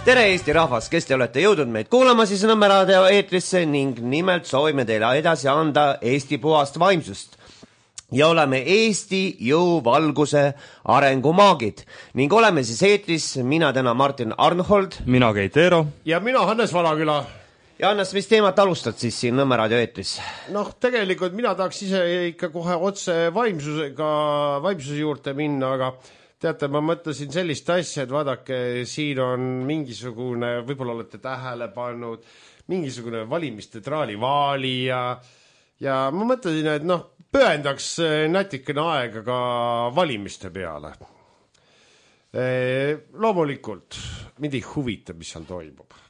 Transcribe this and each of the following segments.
Tere Eesti rahvas, kes te olete jõudnud meid kuulama siis Nõmme-raadio eetrisse ning nimelt soovime teile edasi anda Eesti puhast vaimsust. Ja oleme Eesti jõuvalguse arengumaagid ning oleme siis eetris mina täna Martin Arnhold. Mina Keit Eero. Ja mina Hannes Valaküla. Ja Hannes, mis teemat alustad siis siin Nõmme-raadio eetris? Tegelikult mina tahaks ise ikka kohe otse vaimsuse juurde minna, aga teate, ma mõtlesin sellist asja, et vaadake, siin on mingisugune, võib-olla olete tähele pannud, mingisugune valimiste traalivaali ja ma mõtlesin, et pühendaks natikene aega ka valimiste peale. Loomulikult, mind ei huvita, mis seal toimub.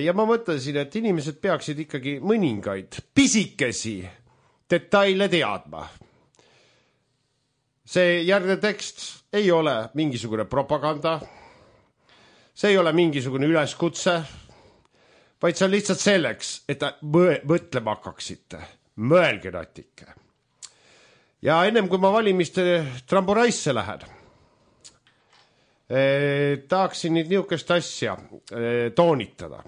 Ja ma mõtlesin, et inimesed peaksid ikkagi mõningaid pisikesi detaile teadma. See järgne tekst ei ole mingisugune propaganda, see ei ole mingisugune üleskutse, vaid see on lihtsalt selleks, et mõtlema hakkaksite. Mõelge natike. Ja ennem kui ma valimiste tramboraisse lähen, tahaksin nüüd niisugust asja toonitada.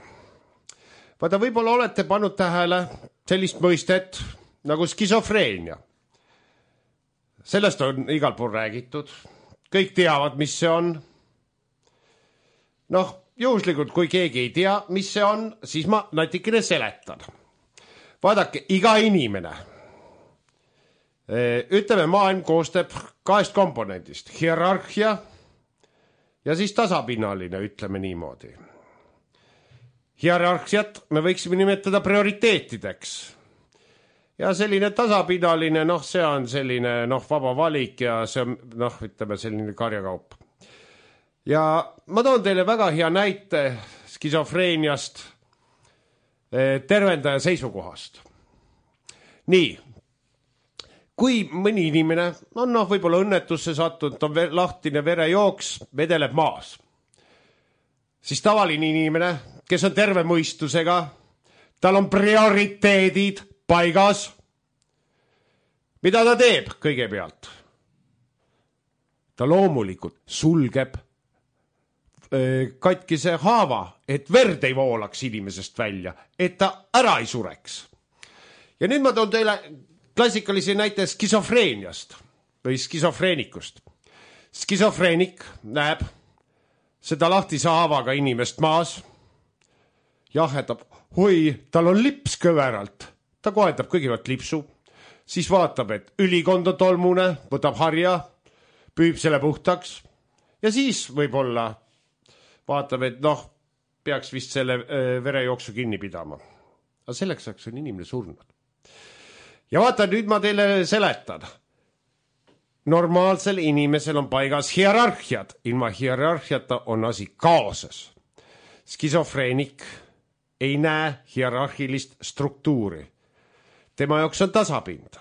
Vaata, võib-olla olete pannud tähele sellist mõistet nagu skisofreenia. Sellest on igal pool räägitud. Kõik teavad, mis see on. Juhuslikult, kui keegi ei tea, mis see on, siis ma natikene seletan. Vaadake, iga inimene, ütleme, maailm koostab 2 komponendist. Hierarhia ja siis tasapinnaline, ütleme niimoodi. Hierarhiat me võiksime nimetada prioriteetideks. Ja selline tasapinnaline, see on selline vaba valik ja see on, ütleme, selline karjakaup. Ja ma toon teile väga hea näite skisofreeniast tervendaja seisukohast. Nii, kui mõni inimene on võib-olla õnnetusse sattunud, on lahtine verejooks, vedeleb maas, siis tavaline inimene, kes on terve mõistusega, tal on prioriteedid paigas. Mida ta teeb kõigepealt? Ta loomulikult sulgeb katkise haava, et verd ei voolaks inimesest välja, et ta ära ei sureks. Ja nüüd ma toon teile klassikalise näite skisofreeniast või skisofreenikust. Skisofreenik näeb seda lahtise haavaga inimest maas, jahetab, tal on lips kõveralt. Ta kohendab kõigepealt lipsu, siis vaatab, et ülikond on tolmune, võtab harja, püüb selle puhtaks ja siis võib-olla vaatab, et peaks vist selle verejooksu kinni pidama. Aga selleks on inimene surnud. Ja vaata, nüüd ma teile seletan. Normaalsel inimesel on paigas hierarhiad. Ilma hierarhiata on asi kaoses. Skisofreenik ei näe hierarhilist struktuuri. Tema jaoks on tasapind.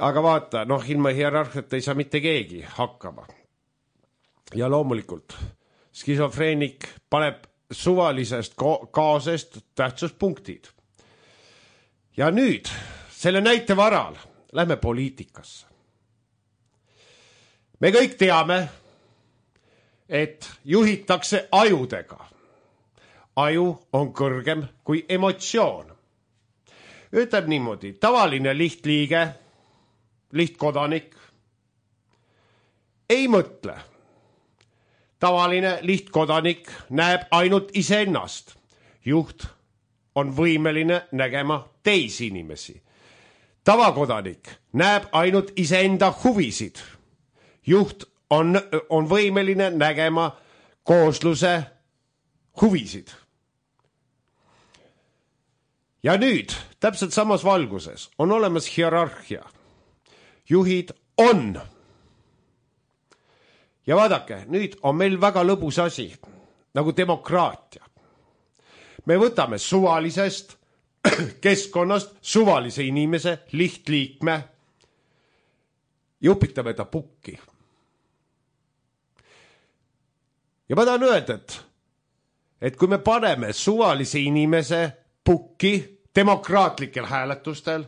Aga vaata, ilma hierarhiat ei saa mitte keegi hakkama. Ja loomulikult, skisofreenik paneb suvalisest kaosest tähtsuspunktid. Ja nüüd, selle näite varal, lähme poliitikasse. Me kõik teame, et juhitakse ajudega. Aju on kõrgem kui emotsioon. Ütleb niimoodi, tavaline lihtliige, lihtkodanik ei mõtle. Tavaline lihtkodanik näeb ainult iseennast. Juht on võimeline nägema teisi inimesi. Tavakodanik näeb ainult iseenda huvisid. Juht on võimeline nägema koosluse huvisid. Ja nüüd, täpselt samas valguses, on olemas hierarhia. Juhid on. Ja vaadake, nüüd on meil väga lõbus asi, nagu demokraatia. Me võtame suvalisest keskkonnast suvalise inimese, lihtliikme, jupitame ta pukki. Ja ma tahan öelda, et kui me paneme suvalise inimese pukki demokraatlikel hääletustel,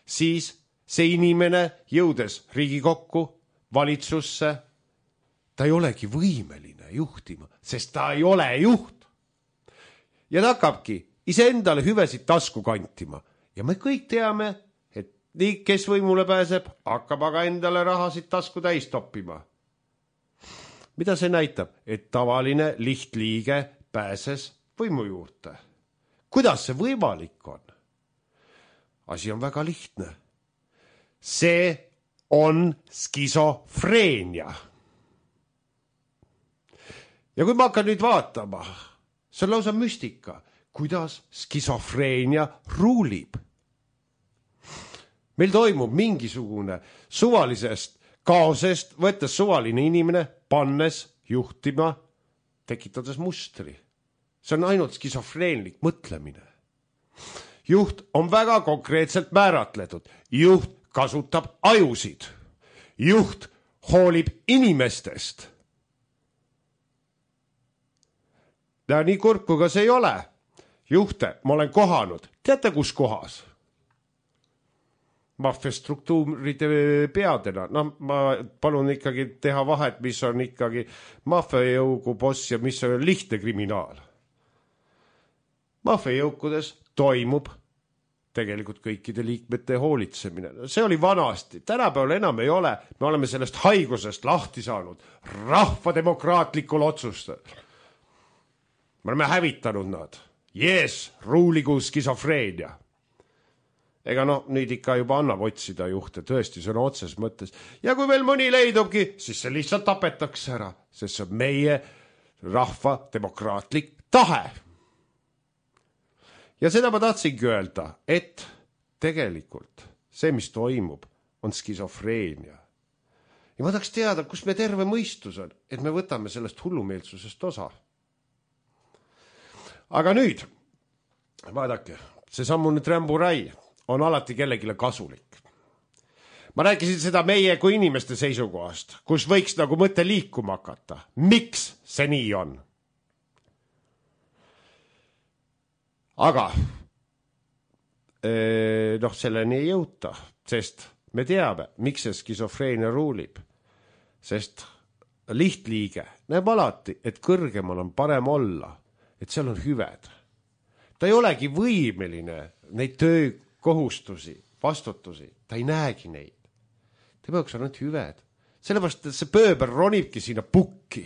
siis see inimene jõudes Riigikokku, valitsusse, ta ei olegi võimeline juhtima, sest ta ei ole juht. Ja ta hakkabki iseendale hüvesid tasku kantima. Ja me kõik teame, et nii, kes võimule pääseb, hakkab aga endale rahasid tasku täis toppima. Mida see näitab? Et tavaline lihtliige pääses võimu juurde. Kuidas see võimalik on? Asi on väga lihtne. See on skisofreenia. Ja kui ma hakkan nüüd vaatama, see on lausa müstika, kuidas skisofreenia ruulib. Meil toimub mingisugune suvalisest kaosest, võttes suvaline inimene, pannes juhtima, tekitades mustri. See on ainult skisofreenlik mõtlemine. Juht on väga konkreetselt määratletud. Juht kasutab ajusid. Juht hoolib inimestest. Ja nii kurb, kui ka see ei ole. Juhte ma olen kohanud. Teate, kus kohas? Maffiastruktuuride peadena. Ma palun ikkagi teha vahet, mis on ikkagi maffiajõugu boss ja mis on lihtne kriminaal. Maffiajõukudes toimub tegelikult kõikide liikmete hoolitsemine. See oli vanasti. Tänapäeval enam ei ole. Me oleme sellest haigusest lahti saanud. Rahvademokraatlikul otsustel. Me oleme hävitanud nad. Yes, ruuligu skisofreenia. Ega nüüd ikka juba annab otsida juhte, tõesti, see on otses mõttes. Ja kui veel mõni leidubki, siis see lihtsalt tapetakse ära, sest see on meie rahva demokraatlik tahe. Ja seda ma tahtsingi öelda, et tegelikult see, mis toimub, on skisofreenia. Ja ma tahaks teada, kus me terve mõistus on, et me võtame sellest hullumeelsusest osa. Aga nüüd, vaadake, see sammune trämburai on alati kellegile kasulik. Ma rääkisin seda meie kui inimeste seisukohast, kus võiks nagu mõte liikuma hakata. Miks see nii on? Aga selleni ei jõuta, sest me teame, miks see skisofreenia ruulib. Sest lihtliige näeb alati, et kõrgemal on parem olla, et seal on hüved. Ta ei olegi võimeline neid töökohustusi, vastutusi, ta ei näegi neid. Ta peaks ainult hüved. Sellepärast, et see pööber ronibki sinna pukki.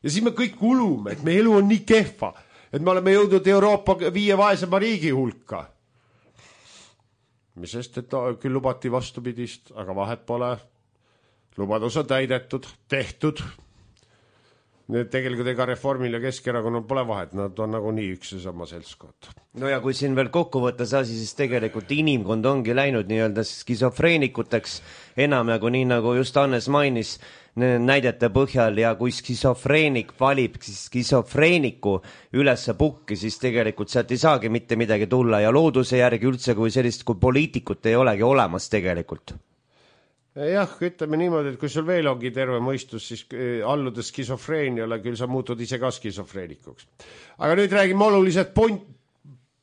Ja siis me kõik ulume, et meie elu on nii kehva, et me oleme jõudnud Euroopa 5 vaesema riigi hulka. Mis sest, et küll lubati vastupidist, aga vahet pole. Lubadus on täidetud, tehtud. Tegelikult ega Reformil ja Keskerakonnal pole vahet, nad on nagu nii üks ja sama seltskond. No ja kui siin veel kokku võttes asi, siis tegelikult inimkond ongi läinud nii-öelda skisofreenikuteks enam nagu nii, nagu just Hannes mainis näidete põhjal ja kui skisofreenik valib skisofreeniku ülesse pukki, siis tegelikult sealt ei saagi mitte midagi tulla ja looduse järgi üldse kui sellist kui poliitikut ei olegi olemas tegelikult. Jah, ütleme niimoodi, et kui sul veel ongi terve mõistus, siis alludes skisofreeniale, küll sa muutud ise ka skisofreenikuks. Aga nüüd räägime olulisest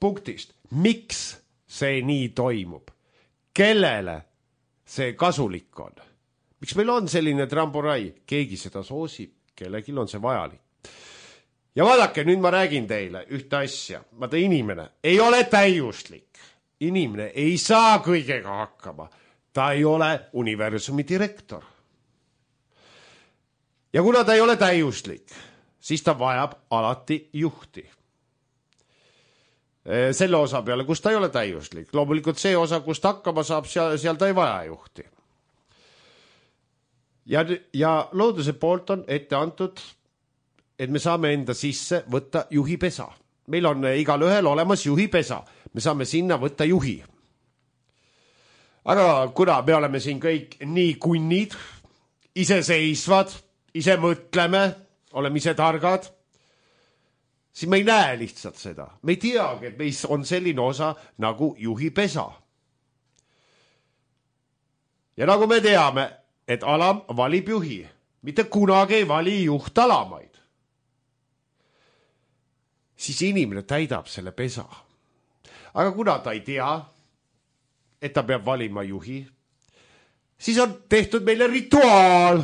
punktist. Miks see nii toimub? Kellele see kasulik on? Miks meil on selline tramburai? Keegi seda soosib, kellegil on see vajalik. Ja vaadake, nüüd ma räägin teile ühte asja. Vaata, inimene ei ole täiuslik. Inimene ei saa kõigega hakkama. Ta ei ole universumi direktor. Ja kuna ta ei ole täiuslik, siis ta vajab alati juhti. Selle osa peale, kus ta ei ole täiuslik. Loomulikult see osa, kus ta hakkama saab, seal ta ei vaja juhti. Ja looduse poolt on ette antud, et me saame enda sisse võtta juhipesa. Meil on igal ühel olemas juhipesa. Me saame sinna võtta juhi. Aga kuna me oleme siin kõik nii kunnid, iseseisvad, ise mõtleme, oleme ise targad, siis me ei näe lihtsalt seda. Me ei teagi, et meis on selline osa nagu juhipesa. Ja nagu me teame, et alam valib juhi, mitte kunagi ei vali juht alamaid. Siis inimene täidab selle pesa. Aga kuna ta ei tea, et ta peab valima juhi, siis on tehtud meile rituaal.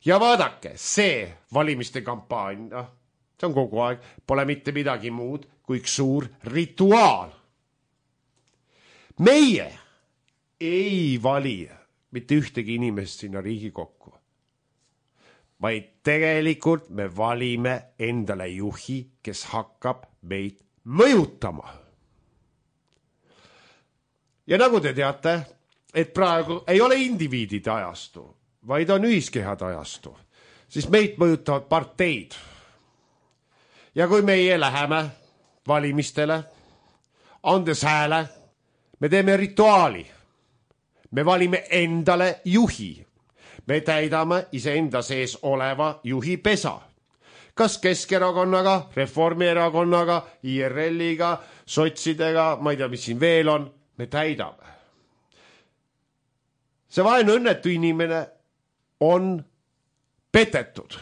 ja vaadake, see valimiste kampaania, see on kogu aeg, pole mitte midagi muud kui üks suur rituaal. Meie ei vali mitte ühtegi inimest sinna Riigikokku, vaid tegelikult me valime endale juhi, kes hakkab meid mõjutama. Ja nagu te teate, et praegu ei ole indiviidide ajastu, vaid on ühiskehade ajastu, siis meid mõjutavad parteid. Ja kui meie läheme valimistele, andes hääle, me teeme rituaali. Me valime endale juhi. Me täidame iseenda sees oleva juhi pesa. Kas Keskerakonnaga, Reformierakonnaga, IRL-iga, sotsidega, ma ei tea, mis siin veel on, me täidame. See vaene õnnetu inimene on petetud.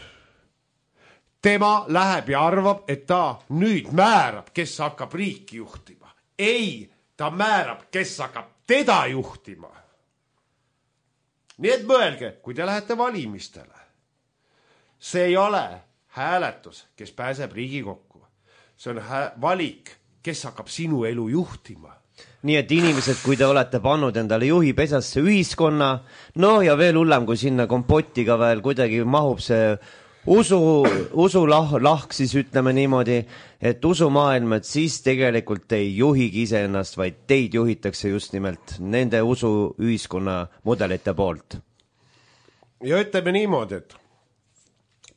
Tema läheb ja arvab, et ta nüüd määrab, kes hakkab riiki juhtima. Ei, ta määrab, kes hakkab teda juhtima. Nii et mõelge, kui te lähete valimistele. See ei ole hääletus, kes pääseb Riigikokku. See on valik, kes hakkab sinu elu juhtima. Nii et inimesed, kui te olete pannud endale juhi pesasse ühiskonna, no ja veel hullem, kui sinna kompotiga veel kuidagi mahub see usulahk, siis ütleme niimoodi, et usumaailm, et siis tegelikult ei juhigi iseennast, vaid teid juhitakse just nimelt nende usuühiskonna mudelite poolt. Ja ütleme niimoodi, et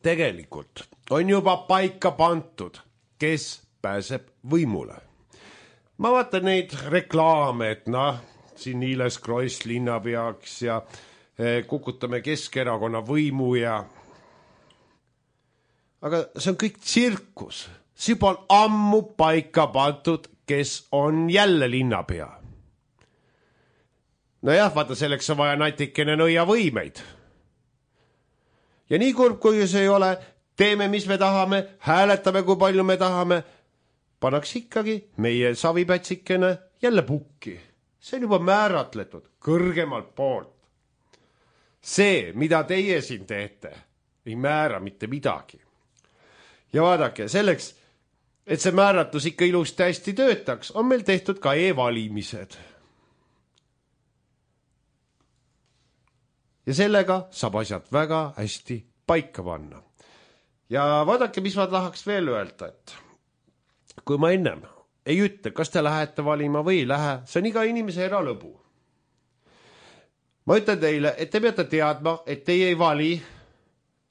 tegelikult on juba paika pantud, kes pääseb võimule. Ma vaatan neid reklaame, et siin Niiles Kross linnapeaks ja kukutame Keskerakonna võimu ja... Aga see on kõik tsirkus. See juba on ammu paika pandud, kes on jälle linnapea. No jah, vaata, selleks on vaja natikene nõia võimeid. Ja nii kurb, kui see ei ole, teeme, mis me tahame, hääletame, kui palju me tahame, pannaks ikkagi meie savipätsikene jälle pukki. See on juba määratletud kõrgemalt poolt. See, mida teie siin teete, ei määra mitte midagi. Ja vaadake, selleks, et see määratus ikka ilusti hästi töötaks, on meil tehtud ka e-valimised. Ja sellega saab asjad väga hästi paika panna. Ja vaadake, mis ma tahaks veel öelda, et kui ma ennem ei ütle, kas te lähete valima või ei lähe, see on iga inimese eralõbu. Ma ütlen teile, et te peate teadma, et teie ei vali,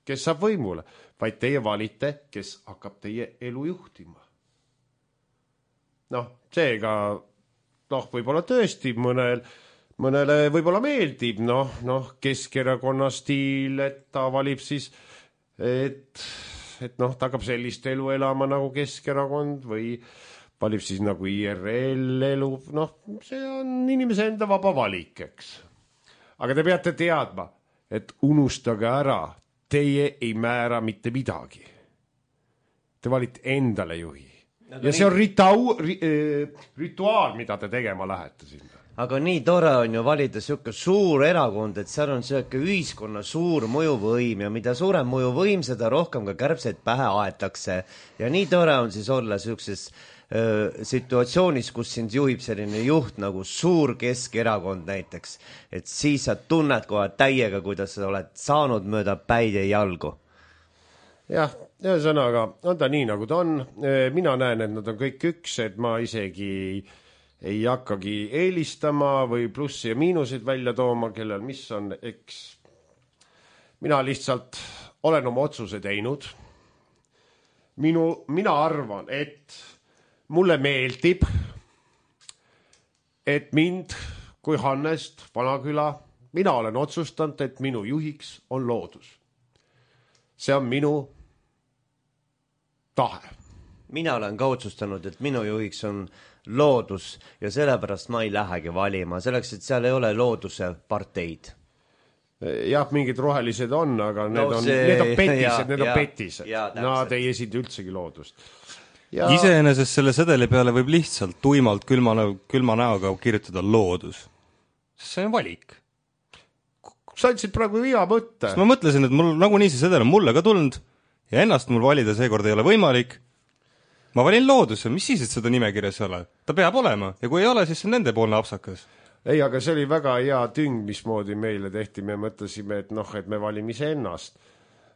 kes saab võimule, vaid teie valite, kes hakkab teie elu juhtima. Seega, võib-olla tõesti mõnele võib-olla meeldib, Keskerakonna stiil, et ta valib siis, et ta hakkab sellist elu elama nagu Keskerakond või valib siis nagu IRL elu, see on inimese enda vaba valik, eks. Aga te peate teadma, et unustage ära, teie ei määra mitte midagi. Te valite endale juhi. Ja see on rituaal, mida te tegema lähete sinna. Aga nii tore on ju valida selline suur erakond, et seal on selline ühiskonna suur mõjuvõim ja mida suurem mõjuvõim, seda rohkem ka kärbseid pähe aetakse. Ja nii tore on siis olla sellises situatsioonis, kus sind juhib selline juht nagu suur Keskerakond näiteks, et siis sa tunned kohe täiega, kuidas sa oled saanud mööda päid ja jalgu. Jah, ühesõnaga, on ta nii nagu ta on. Mina näen, et nad on kõik üks, et ma isegi ei hakkagi eelistama või plussi ja miinuseid välja tooma, kellel mis on, eks. Mina lihtsalt olen oma otsuse teinud. Mina arvan, et mulle meeldib, et mind kui Hannest Vanaküla, mina olen otsustanud, et minu juhiks on loodus. See on minu tahe. Mina olen ka otsustanud, et minu juhiks on loodus ja sellepärast ma ei lähegi valima, selleks, et seal ei ole looduse parteid. Jah, mingid rohelised on, aga need on petised. Nad ei esinda üldsegi loodust. Ja... Iseenesest selle sedeli peale võib lihtsalt tuimalt külma näoga kirjutada loodus. See on valik. sa andsid praegu hea mõtte. Ma mõtlesin, et mul nagunii see sedel on mulle ka tulnud ja ennast mul valida seekord ei ole võimalik. Ma valin looduse, mis siis, et seda nimekirjas ei ole? Ta peab olema ja kui ei ole, siis see on nendepoolne apsakas. Ei, aga see oli väga hea tüng, mismoodi meile tehti. Me mõtlesime, et et me valime ise ennast.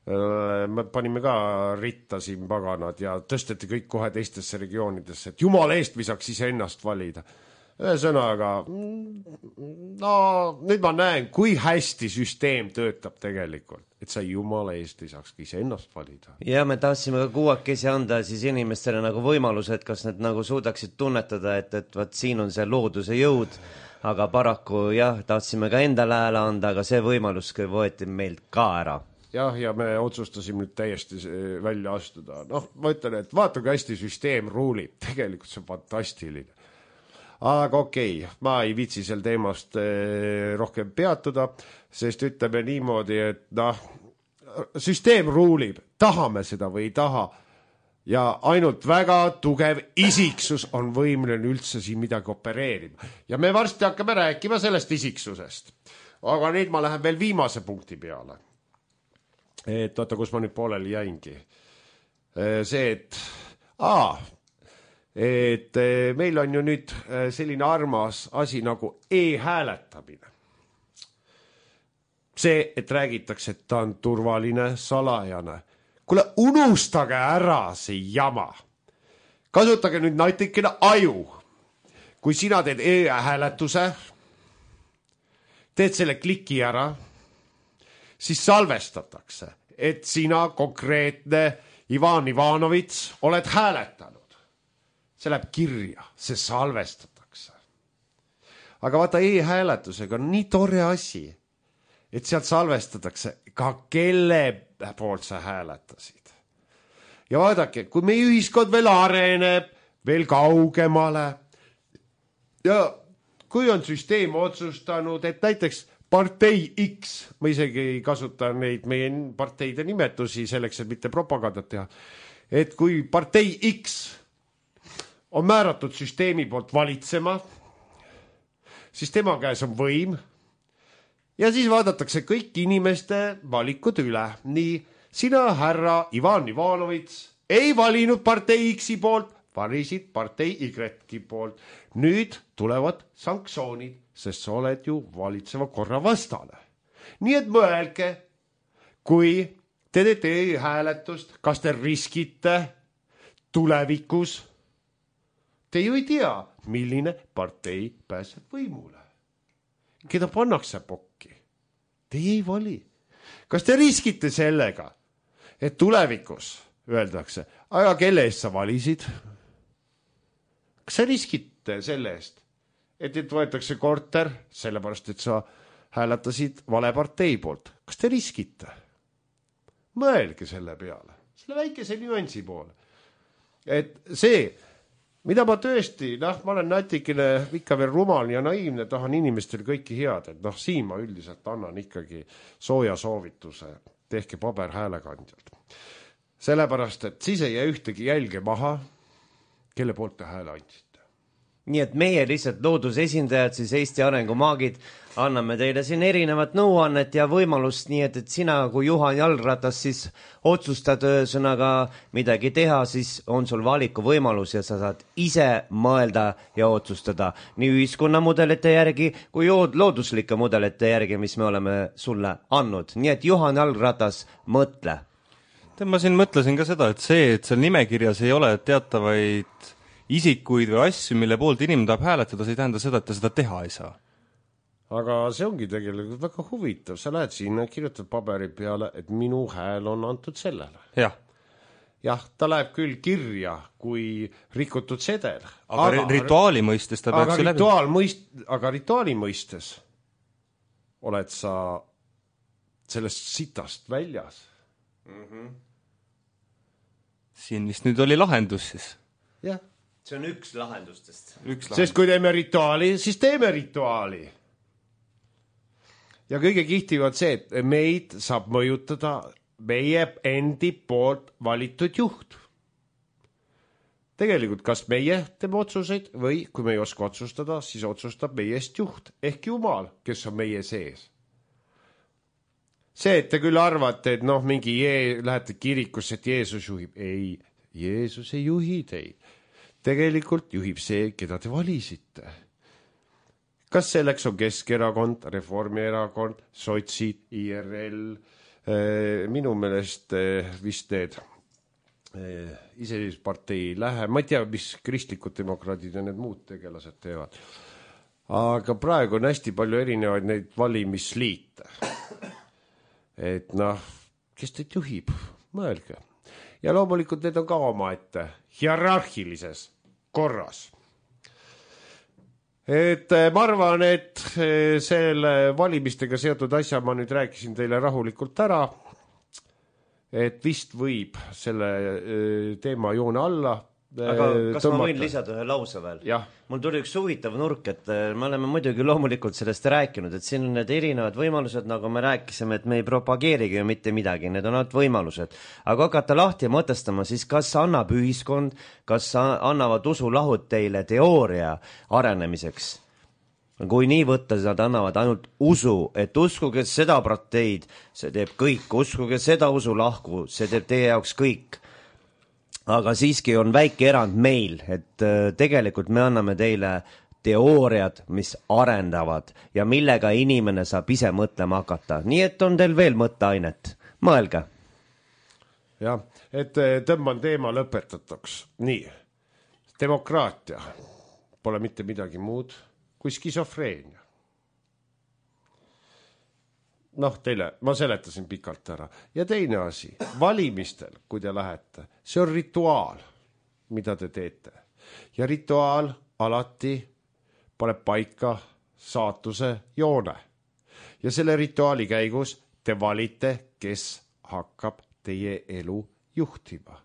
Me panime ka ritta siin paganad ja tõsteti kõik kohe teistesse regioonidesse, et jumala eest me saaks ise ennast valida. Ühesõnaga, nüüd ma näen, kui hästi süsteem töötab tegelikult, et sa jumala eest ei saaks ise ennast valida. Ja me tahtsime ka kuuakesi anda siis inimestele nagu võimaluse, et kas need nagu suudaksid tunnetada, et võt siin on see looduse jõud, aga paraku jah, tahtsime ka endale hääle anda, aga see võimalus võeti meilt ka ära. Ja me otsustasime nüüd täiesti välja astuda. Ma ütlen, et vaata, kui hästi süsteem ruulib. Tegelikult see on fantastiline. Aga okei, ma ei viitsi sel teemast rohkem peatuda, sest ütleme niimoodi, et süsteem ruulib, tahame seda või ei taha ja ainult väga tugev isiksus on võimeline üldse siin midagi opereerima. Ja me varsti hakkame rääkima sellest isiksusest. Aga nüüd ma lähen veel viimase punkti peale. Et oota, kus ma nüüd pooleli jäingi. See, et meil on ju nüüd selline armas asi nagu e-hääletamine. See, et räägitakse, et ta on turvaline, salajane. Kuule, unustage ära see jama. Kasutage nüüd natikene aju. Kui sina teed e-hääletuse, teed selle kliki ära, siis salvestatakse, et sina konkreetne Ivan Ivanovits oled hääletanud. See läheb kirja, see salvestatakse. Aga vaata, e-hääletusega on nii tore asi, et sealt salvestatakse ka kelle poolt sa hääletasid. Ja vaadake, kui meie ühiskond veel areneb, veel kaugemale ja kui on süsteem otsustanud, et näiteks partei X, ma isegi ei kasuta neid meie parteide nimetusi selleks, et mitte propagandat teha, et kui partei X on määratud süsteemi poolt valitsema, siis tema käes on võim ja siis vaadatakse kõik inimeste valikud üle. Nii, sina, härra Ivan Ivanovits, ei valinud partei X-i poolt, valisid partei Y-ki poolt. Nüüd tulevad sanktsioonid, sest sa oled ju valitseva korra vastane. Nii et mõelge, kui te teete hääletust, kas te riskite tulevikus. Te ju ei tea, milline partei pääseb võimule. Keda pannakse pokki? Te ei vali. Kas te riskite sellega, et tulevikus öeldakse, aga kelle eest sa valisid? Kas sa riskite selle eest, et võetakse korter, sellepärast, et sa hääletasid vale partei poolt? Kas te riskite? Mõelge selle peale, selle väikese nüansi poole. Et see, mida ma tõesti, ma olen natikene ikka veel rumal ja naiivne, tahan inimestel kõiki head, et siin ma üldiselt annan ikkagi sooja soovituse, tehke paberhäälekandjalt. Sellepärast, et siis ei jää ühtegi jälge maha, kelle poolt te hääle andsite. Nii et meie lihtsalt loodusesindajad, siis Eesti arengumaagid, anname teile siin erinevat nõuannet ja võimalust, nii et sina kui Juhan Jalgratas siis otsustad ühesõnaga midagi teha, siis on sul valiku võimalus ja sa saad ise mõelda ja otsustada nii ühiskonnamudelite järgi kui looduslike mudelite järgi, mis me oleme sulle andnud. Nii et Juhan Jalgratas, mõtle. Ma siin mõtlesin ka seda, et seal nimekirjas ei ole teatavaid isikuid või asju, mille poolt inimene tahab hääletada, see ei tähenda seda, et ta seda teha ei saa. Aga see ongi tegelikult väga huvitav. Sa lähed sinna, kirjutad paberi peale, et minu hääl on antud sellele. Jah, ta läheb küll kirja kui rikutud sedel. Aga rituaali mõistes ta peaks läbi. Aga rituaali mõistes oled sa sellest sitast väljas. Siin vist nüüd oli lahendus siis. Jah. See on üks lahendustest. Sest kui teeme rituaali, siis teeme rituaali. Ja kõige kihtiv on see, et meid saab mõjutada meie endi poolt valitud juht. Tegelikult kas meie teeme otsuseid või kui me ei oska otsustada, siis otsustab meie eest juht ehk Jumal, kes on meie sees. see, et te küll arvate, et noh, lähete kirikusse, et Jeesus juhib. Ei, Jeesus ei juhi teid. Tegelikult juhib see, keda te valisite. Kas selleks on Keskerakond, Reformierakond, Sotsid, IRL, minu meelest vist need iseseisvuspartei ei lähe, ma ei tea, mis kristlikud demokraadid ja need muud tegelased teevad. Aga praegu on hästi palju erinevaid neid valimisliite. Et noh, kes teid juhib, mõelge. Ja loomulikult need on ka omaette hierarhilises korras. Et ma arvan, et selle valimistega seotud asja ma nüüd rääkisin teile rahulikult ära, et vist võib selle teema joone alla aga kas tõmmata. Ma võin lisada ühe lause veel? Jah. Mul tuli üks huvitav nurk, et me oleme muidugi loomulikult sellest rääkinud, et siin on need erinevad võimalused, nagu me rääkisime, et me ei propageerigi mitte midagi, need on ainult võimalused. Aga hakata lahti mõtestama, siis kas annab ühiskond, kas annavad usulahud teile teooria arenemiseks? Kui nii võtta, nad annavad ainult usu, et uskuge seda parteid, see teeb kõik, uskuge seda usulahku, see teeb teie jaoks kõik. Aga siiski on väike erand meil, et tegelikult me anname teile teooriad, mis arendavad ja millega inimene saab ise mõtlema hakata. Nii et on teil veel mõtteainet. Mõelge. Jah, et tõmban teema lõpetatuks. Nii, demokraatia pole mitte midagi muud kui skisofreenia. Noh, teile, ma seletasin pikalt ära. Ja teine asi, valimistel, kui te lähete, see on rituaal, mida te teete. Ja rituaal alati paneb paika saatuse joone. Ja selle rituaali käigus te valite, kes hakkab teie elu juhtima.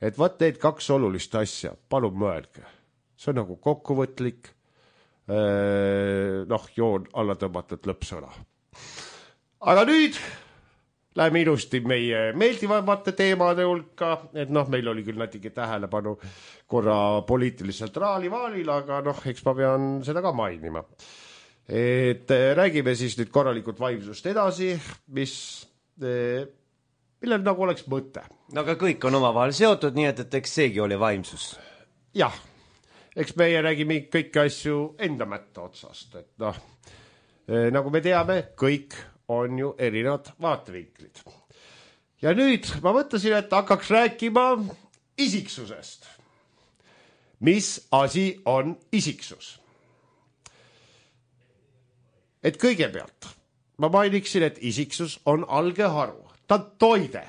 Et vaat need kaks olulist asja, palun mõelge. See on nagu kokkuvõtlik, joon alla tõmmatud lõppsõna. Aga nüüd läheme ilusti meie meeldivamate teemade hulka, et meil oli küll natuke tähelepanu korra poliitiliselt raalivaalil, aga eks ma pean seda ka mainima. Et räägime siis nüüd korralikult vaimsust edasi, millel nagu oleks mõte. No aga kõik on omavahel seotud, nii et eks seegi oli vaimsus. Jah, eks meie räägime kõiki asju enda mätta otsast, et nagu me teame, kõik on ju erinevad vaatevinklid. Ja nüüd ma mõtlesin, et hakkaks rääkima isiksusest. Mis asi on isiksus? Et kõigepealt ma mainiksin, et isiksus on algeharu. Ta on toide.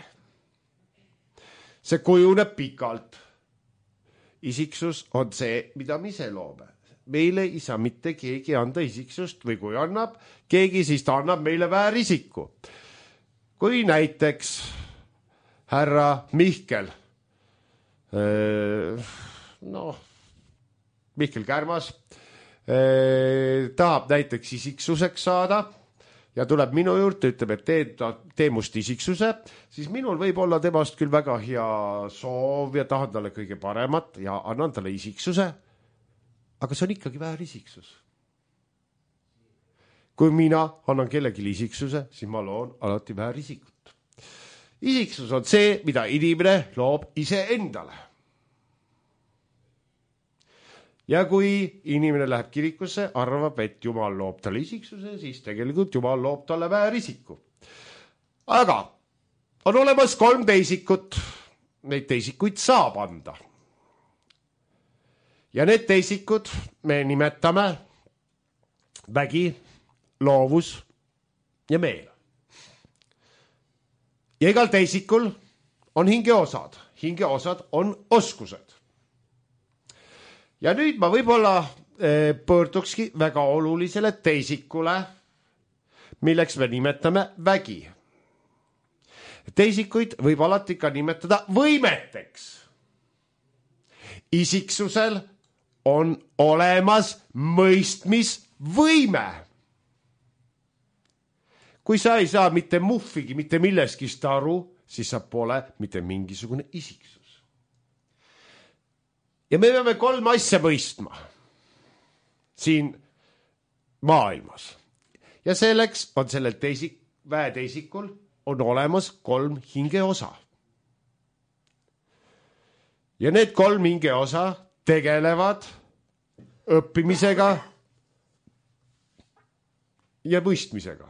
See kujuneb pikalt. Isiksus on see, mida me ise loome. Meile ei saa mitte keegi anda isiksust või kui annab keegi, siis ta annab meile väärisiku. Kui näiteks härra Mihkel, Mihkel Kärmas tahab näiteks isiksuseks saada ja tuleb minu juurde, ütleb, et tee must isiksuse, siis minul võib olla temast küll väga hea soov ja tahan talle kõige paremat ja annan talle isiksuse. Aga see on ikkagi väär isiksus. Kui mina annan kellegi isiksuse, siis ma loon alati väär isikut. Isiksus on see, mida inimene loob ise endale. Ja kui inimene läheb kirikusse, arvab, et Jumal loob talle isiksuse, siis tegelikult Jumal loob talle väär isiku. Aga on olemas 3 teisikut. Neid teisikuid saab anda. Ja need teisikud me nimetame vägi, loovus ja meel. Ja igal teisikul on hingeosad. Hingeosad on oskused. Ja nüüd ma võib-olla pöördukski väga olulisele teisikule, milleks me nimetame vägi. Teisikuid võib alati ka nimetada võimeteks. Isiksusel on olemas mõistmisvõime. Kui sa ei saa mitte muffigi, mitte milleskist aru, siis sa pole mitte mingisugune isiksus. Ja me peame 3 asja mõistma siin maailmas. Ja selleks on sellel väeteisikul on olemas 3 hingeosa. Ja need 3 hingeosa tegelevad õppimisega ja mõistmisega.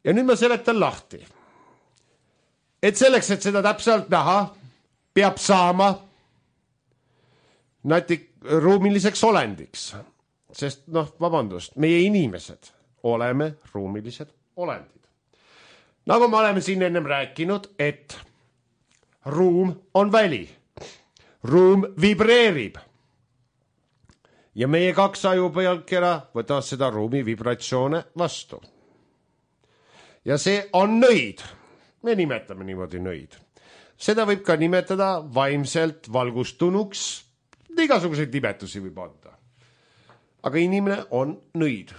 Ja nüüd ma seletan lahti. Et selleks, et seda täpselt näha, peab saama ruumiliseks olendiks. Sest vabandust, meie inimesed oleme ruumilised olendid. Nagu me oleme siin ennem rääkinud, et ruum on väli. Ruum vibreerib. Ja meie 2 ajupealkera võtavad seda ruumi vibratsioone vastu. Ja see on nõid. Me nimetame niimoodi nõid. Seda võib ka nimetada vaimselt valgustunuks. Igasuguseid nimetusi võib anda. Aga inimene on nõid.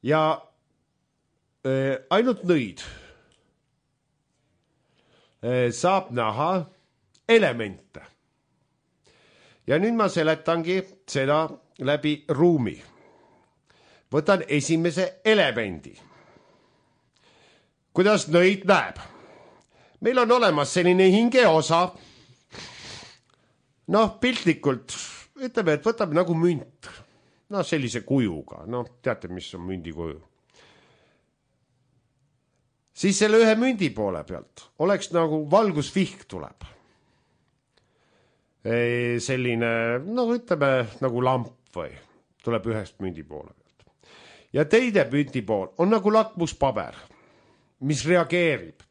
Ja ainult nõid saab näha elemente. Ja nüüd ma seletangi seda läbi ruumi. Võtan esimese elemendi. Kuidas nõid näeb? Meil on olemas selline hingeosa. Piltlikult ütleme, et võtame nagu münt. Sellise kujuga. Teate, mis on mündi kuju. Siis selle ühe mündi poole pealt oleks nagu valgusvihk tuleb. Selline, ütleme, nagu lamp või tuleb ühest mündi poole pealt. Ja teine mündi pool on nagu lakmuspaber, mis reageerib.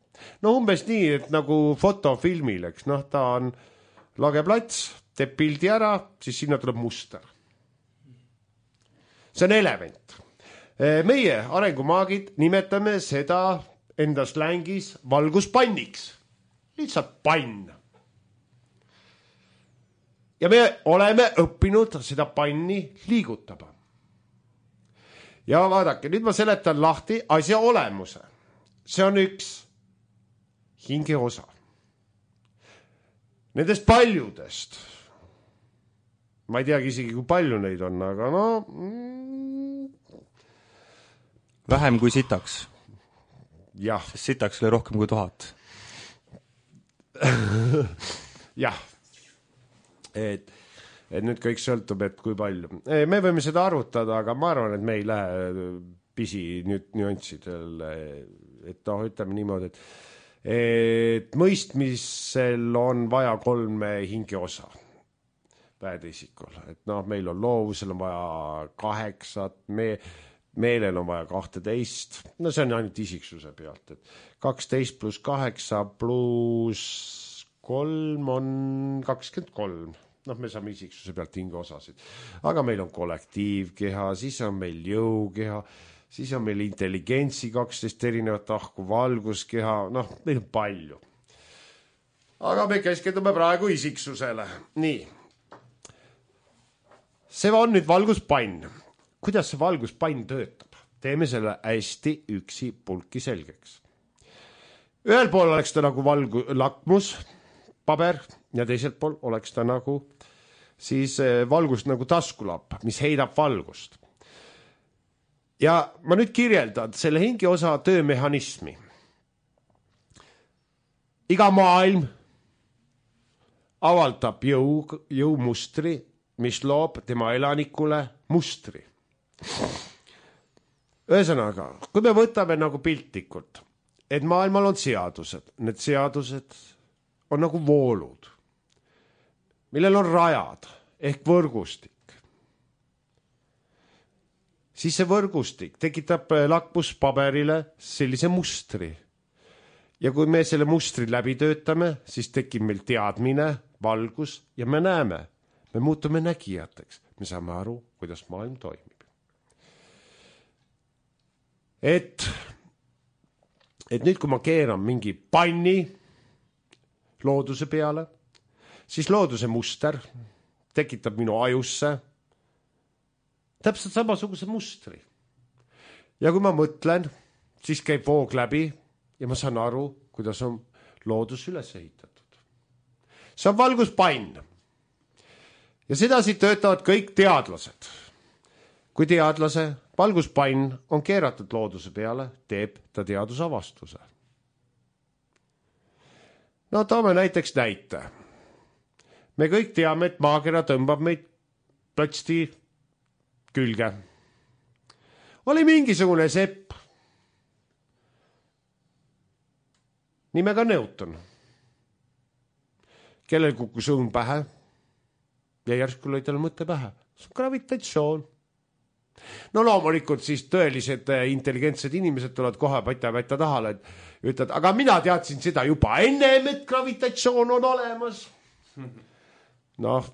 Umbes nii, et nagu fotofilmil, eks, ta on lage plats, teeb pildi ära, siis sinna tuleb muster. See on element. Meie arengumaagid nimetame seda enda slängis valguspanniks. Lihtsalt pann. Ja me oleme õppinud seda panni liigutama. Ja vaadake, nüüd ma seletan lahti asja olemuse. See on üks hingeosa. Nendest paljudest. Ma ei teagi isegi, kui palju neid on, aga vähem kui sitaks. Jah. Sitaks oli rohkem kui 1000. Jah. Et nüüd kõik sõltub, et kui palju. Me võime seda arutada, aga ma arvan, et me ei lähe pisi nüanssidel. Et ütleme niimoodi, et mõistmisel on vaja 3 hingeosa väeteisikul. Et meil on loovusel on vaja 8, meelel on vaja 12. See on ainult isiksuse pealt. Et 12 plus 8 plus 3 on 23. Me saame isiksuse pealt hingeosasid. Aga meil on kollektiivkeha, siis on meil jõukeha, siis on meil intelligentsi 12 erinevat ahku, valguskeha, meil on palju. Aga me keskendume praegu isiksusele. Nii. See on nüüd valguspann. Kuidas see valguspann töötab? Teeme selle hästi üksi pulki selgeks. Ühel pool oleks ta nagu lakmus, paber ja teiselt pool oleks ta nagu siis valgust nagu taskulapp, mis heidab valgust. Ja ma nüüd kirjeldan selle hingeosa töömehhanismi. Iga maailm avaldab jõumustri, mis loob tema elanikule mustri. Ühesõnaga, kui me võtame nagu piltlikult, et maailmal on seadused, need seadused on nagu voolud, millel on rajad ehk võrgustik. Siis see võrgustik tekitab lakmuspaberile sellise mustri. Ja kui me selle mustri läbi töötame, siis tekib meil teadmine, valgus ja me näeme. Me muutume nägijateks. Me saame aru, kuidas maailm toimib. Et nüüd, kui ma keeran mingi panni looduse peale, siis looduse muster tekitab minu ajusse täpselt samasuguse mustri. Ja kui ma mõtlen, siis käib voog läbi ja ma saan aru, kuidas on loodus üles ehitatud. See on valguspann. Ja sedasi töötavad kõik teadlased. kui teadlase valguspann on keeratud looduse peale, teeb ta teadusavastuse. No toome näiteks näite. Me kõik teame, et maakera tõmbab meid plõtsti külge. Oli mingisugune sepp nimega Newton, kellel kukkus õun pähe ja järsku lõi talle mõte pähe. See on gravitatsioon. No loomulikult siis tõelised intelligentsed inimesed tulevad kohe pätta tahale, et ütlevad, aga mina teadsin seda juba ennem, et gravitatsioon on olemas. Noh,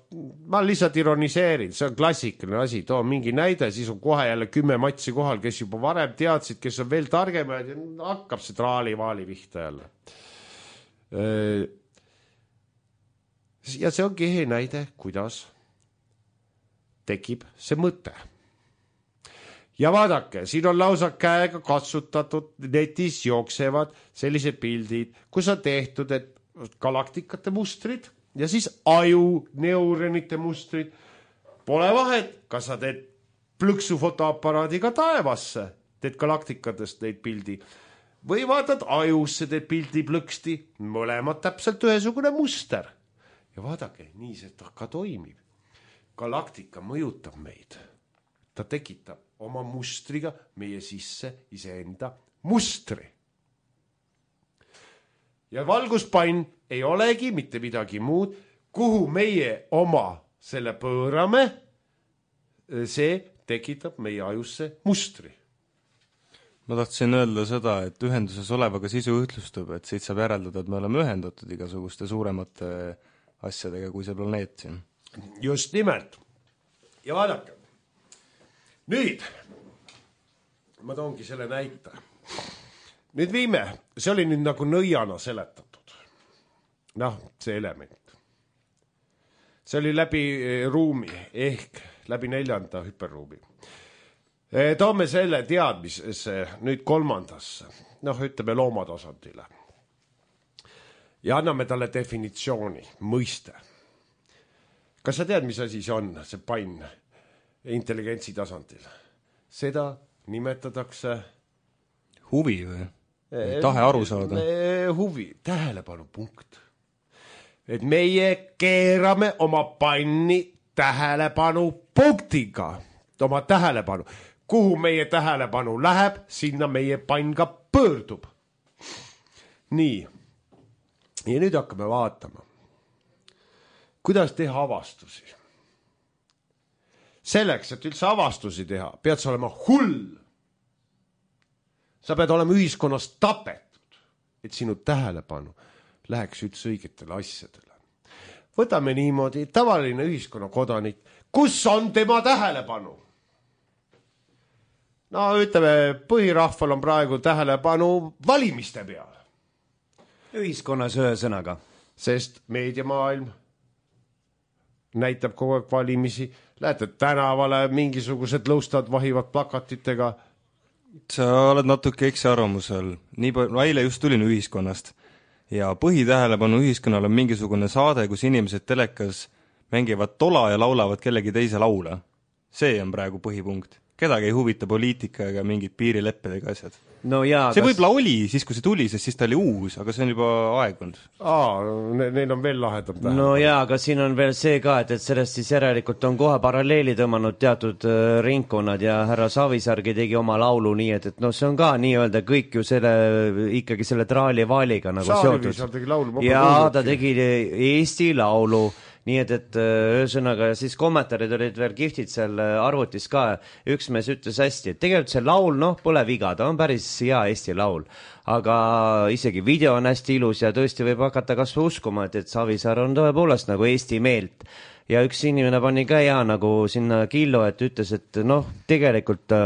ma lihtsalt ironiseerin, see on klassikaline asi, too mingi näide, siis on kohe jälle 10 matsi kohal, kes juba varem teadsid, kes on veel targemad ja hakkab see traali-vaali vihta jälle. Ja see ongi hea näide, kuidas tekib see mõte. Ja vaadake, siin on lausa käega katsutatud, netis jooksevad sellised pildid, kus on tehtud, et galaktikate mustrid ja siis aju neuronite mustrid. Pole vahet, kas sa teed plõksu fotoaparaadiga taevasse, teed galaktikatest neid pildi, või vaatad ajusse, teed pildi plõksti, mõlemad täpselt ühesugune muster. Ja vaadake, nii see ka toimib. Galaktika mõjutab meid. Ta tekitab oma mustriga meie sisse iseenda mustri. Ja valguspann ei olegi mitte midagi muud, kuhu meie oma selle pöörame, see tekitab meie ajusse mustri. Ma tahtsin öelda seda, et ühenduses olevaga sisu ühtlustub, et siit saab järeldada, et me oleme ühendatud igasuguste suuremate asjadega kui see planeet siin. Just nimelt. Ja vaadake. Nüüd, ma toongi selle näite. Nüüd viime, see oli nüüd nagu nõiana seletatud. Noh, see element. See oli läbi ruumi, ehk läbi 4. hüperruumi. Toome selle teadmisesse nüüd 3. noh, ütleme loomatasandile. Ja anname talle definitsiooni, mõiste. Kas sa tead, mis asi see on, see pann intelligentsi tasandil? Seda nimetatakse huvi või? Tahe aru saada? Huvi, tähelepanu punkt. Et meie keerame oma panni tähelepanu punktiga. Oma tähelepanu. Kuhu meie tähelepanu läheb, sinna meie pann ka pöördub. Nii. Ja nüüd hakkame vaatama. Kuidas teha avastusi? Selleks, et üldse avastusi teha, pead sa olema hull. Sa pead olema ühiskonnas tapetud, et sinu tähelepanu läheks üldse õigetele asjadele. Võtame niimoodi, tavaline ühiskonna kodanik, kus on tema tähelepanu? No ütleme, põhirahval on praegu tähelepanu valimiste peale. Ühiskonnas ühe sõnaga. Sest meediamaailm näitab kogu aeg valimisi, lähete tänavale, mingisugused lõustad vahivad plakatitega. Sa oled natuke eksiarvamusel. Eile just tulin ühiskonnast ja põhitähelepanu ühiskonnal on mingisugune saade, kus inimesed telekas mängivad tola ja laulavad kellegi teise laule. See on praegu põhipunkt. Kedagi ei huvita poliitika ega mingid piirileppedega asjad. No jaa, see võib-olla oli siis, kui see tuli, sest siis ta oli uus, aga see on juba aegunud. Neil on veel lahedam tähelepanu. No jaa, aga siin on veel see ka, et sellest siis järelikult on kohe paralleeli tõmmanud teatud ringkonnad ja härra Savisaargi tegi oma laulu nii, et no see on ka nii-öelda kõik ju ikkagi selle traali-vaaliga nagu seotud. Ja ta tegi Eesti laulu. Nii et ühesõnaga siis kommentaarid olid veel kihvtid seal arvutis ka. Üks mees ütles hästi, et tegelikult see laul, pole viga, ta on päris hea Eesti laul. Aga isegi video on hästi ilus ja tõesti võib hakata kas või uskuma, et Savisaar on tõepoolest nagu Eesti meelt. Ja üks inimene pani ka hea nagu sinna killo, et ütles, et tegelikult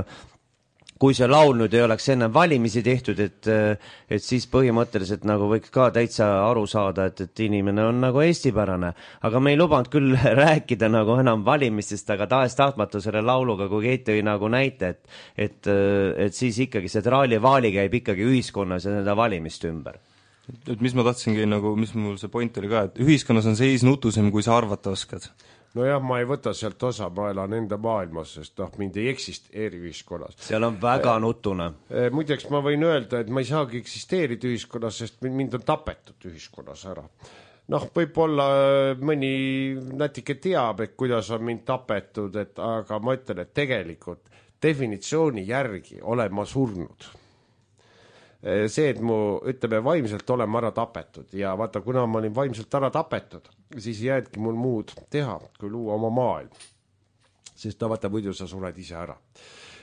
kui see laul nüüd ei oleks enne valimisi tehtud, et siis põhimõtteliselt nagu võiks ka täitsa aru saada, et inimene on nagu eestipärane. Aga me ei lubanud küll rääkida nagu enam valimistest, aga tahes-tahtmatu selle lauluga, kui Keit tõi nagu näite, et siis ikkagi see traali-vaali käib ikkagi ühiskonnas ja nende valimist ümber. Et mis ma tahtsingi, mis mul see point oli ka, et ühiskonnas on seis nutusem, kui sa arvata oskad. Nojah, ma ei võta sealt osa, ma elan enda maailmas, sest mind ei eksisteeri ühiskonnas. Seal on väga nutune. Muideks ma võin öelda, et ma ei saagi eksisteerida ühiskonnas, sest mind on tapetud ühiskonnas ära. Võib-olla mõni natuke teab, et kuidas on mind tapetud, aga ma ütlen, et tegelikult definitsiooni järgi olen ma surnud. See, et mu, ütleme, vaimselt olen ma ära tapetud ja vaata, kuna ma olin vaimselt ära tapetud, siis ei jäädki mul muud teha, kui luua oma maailm. Sest vaata, muidu sa sured ise ära.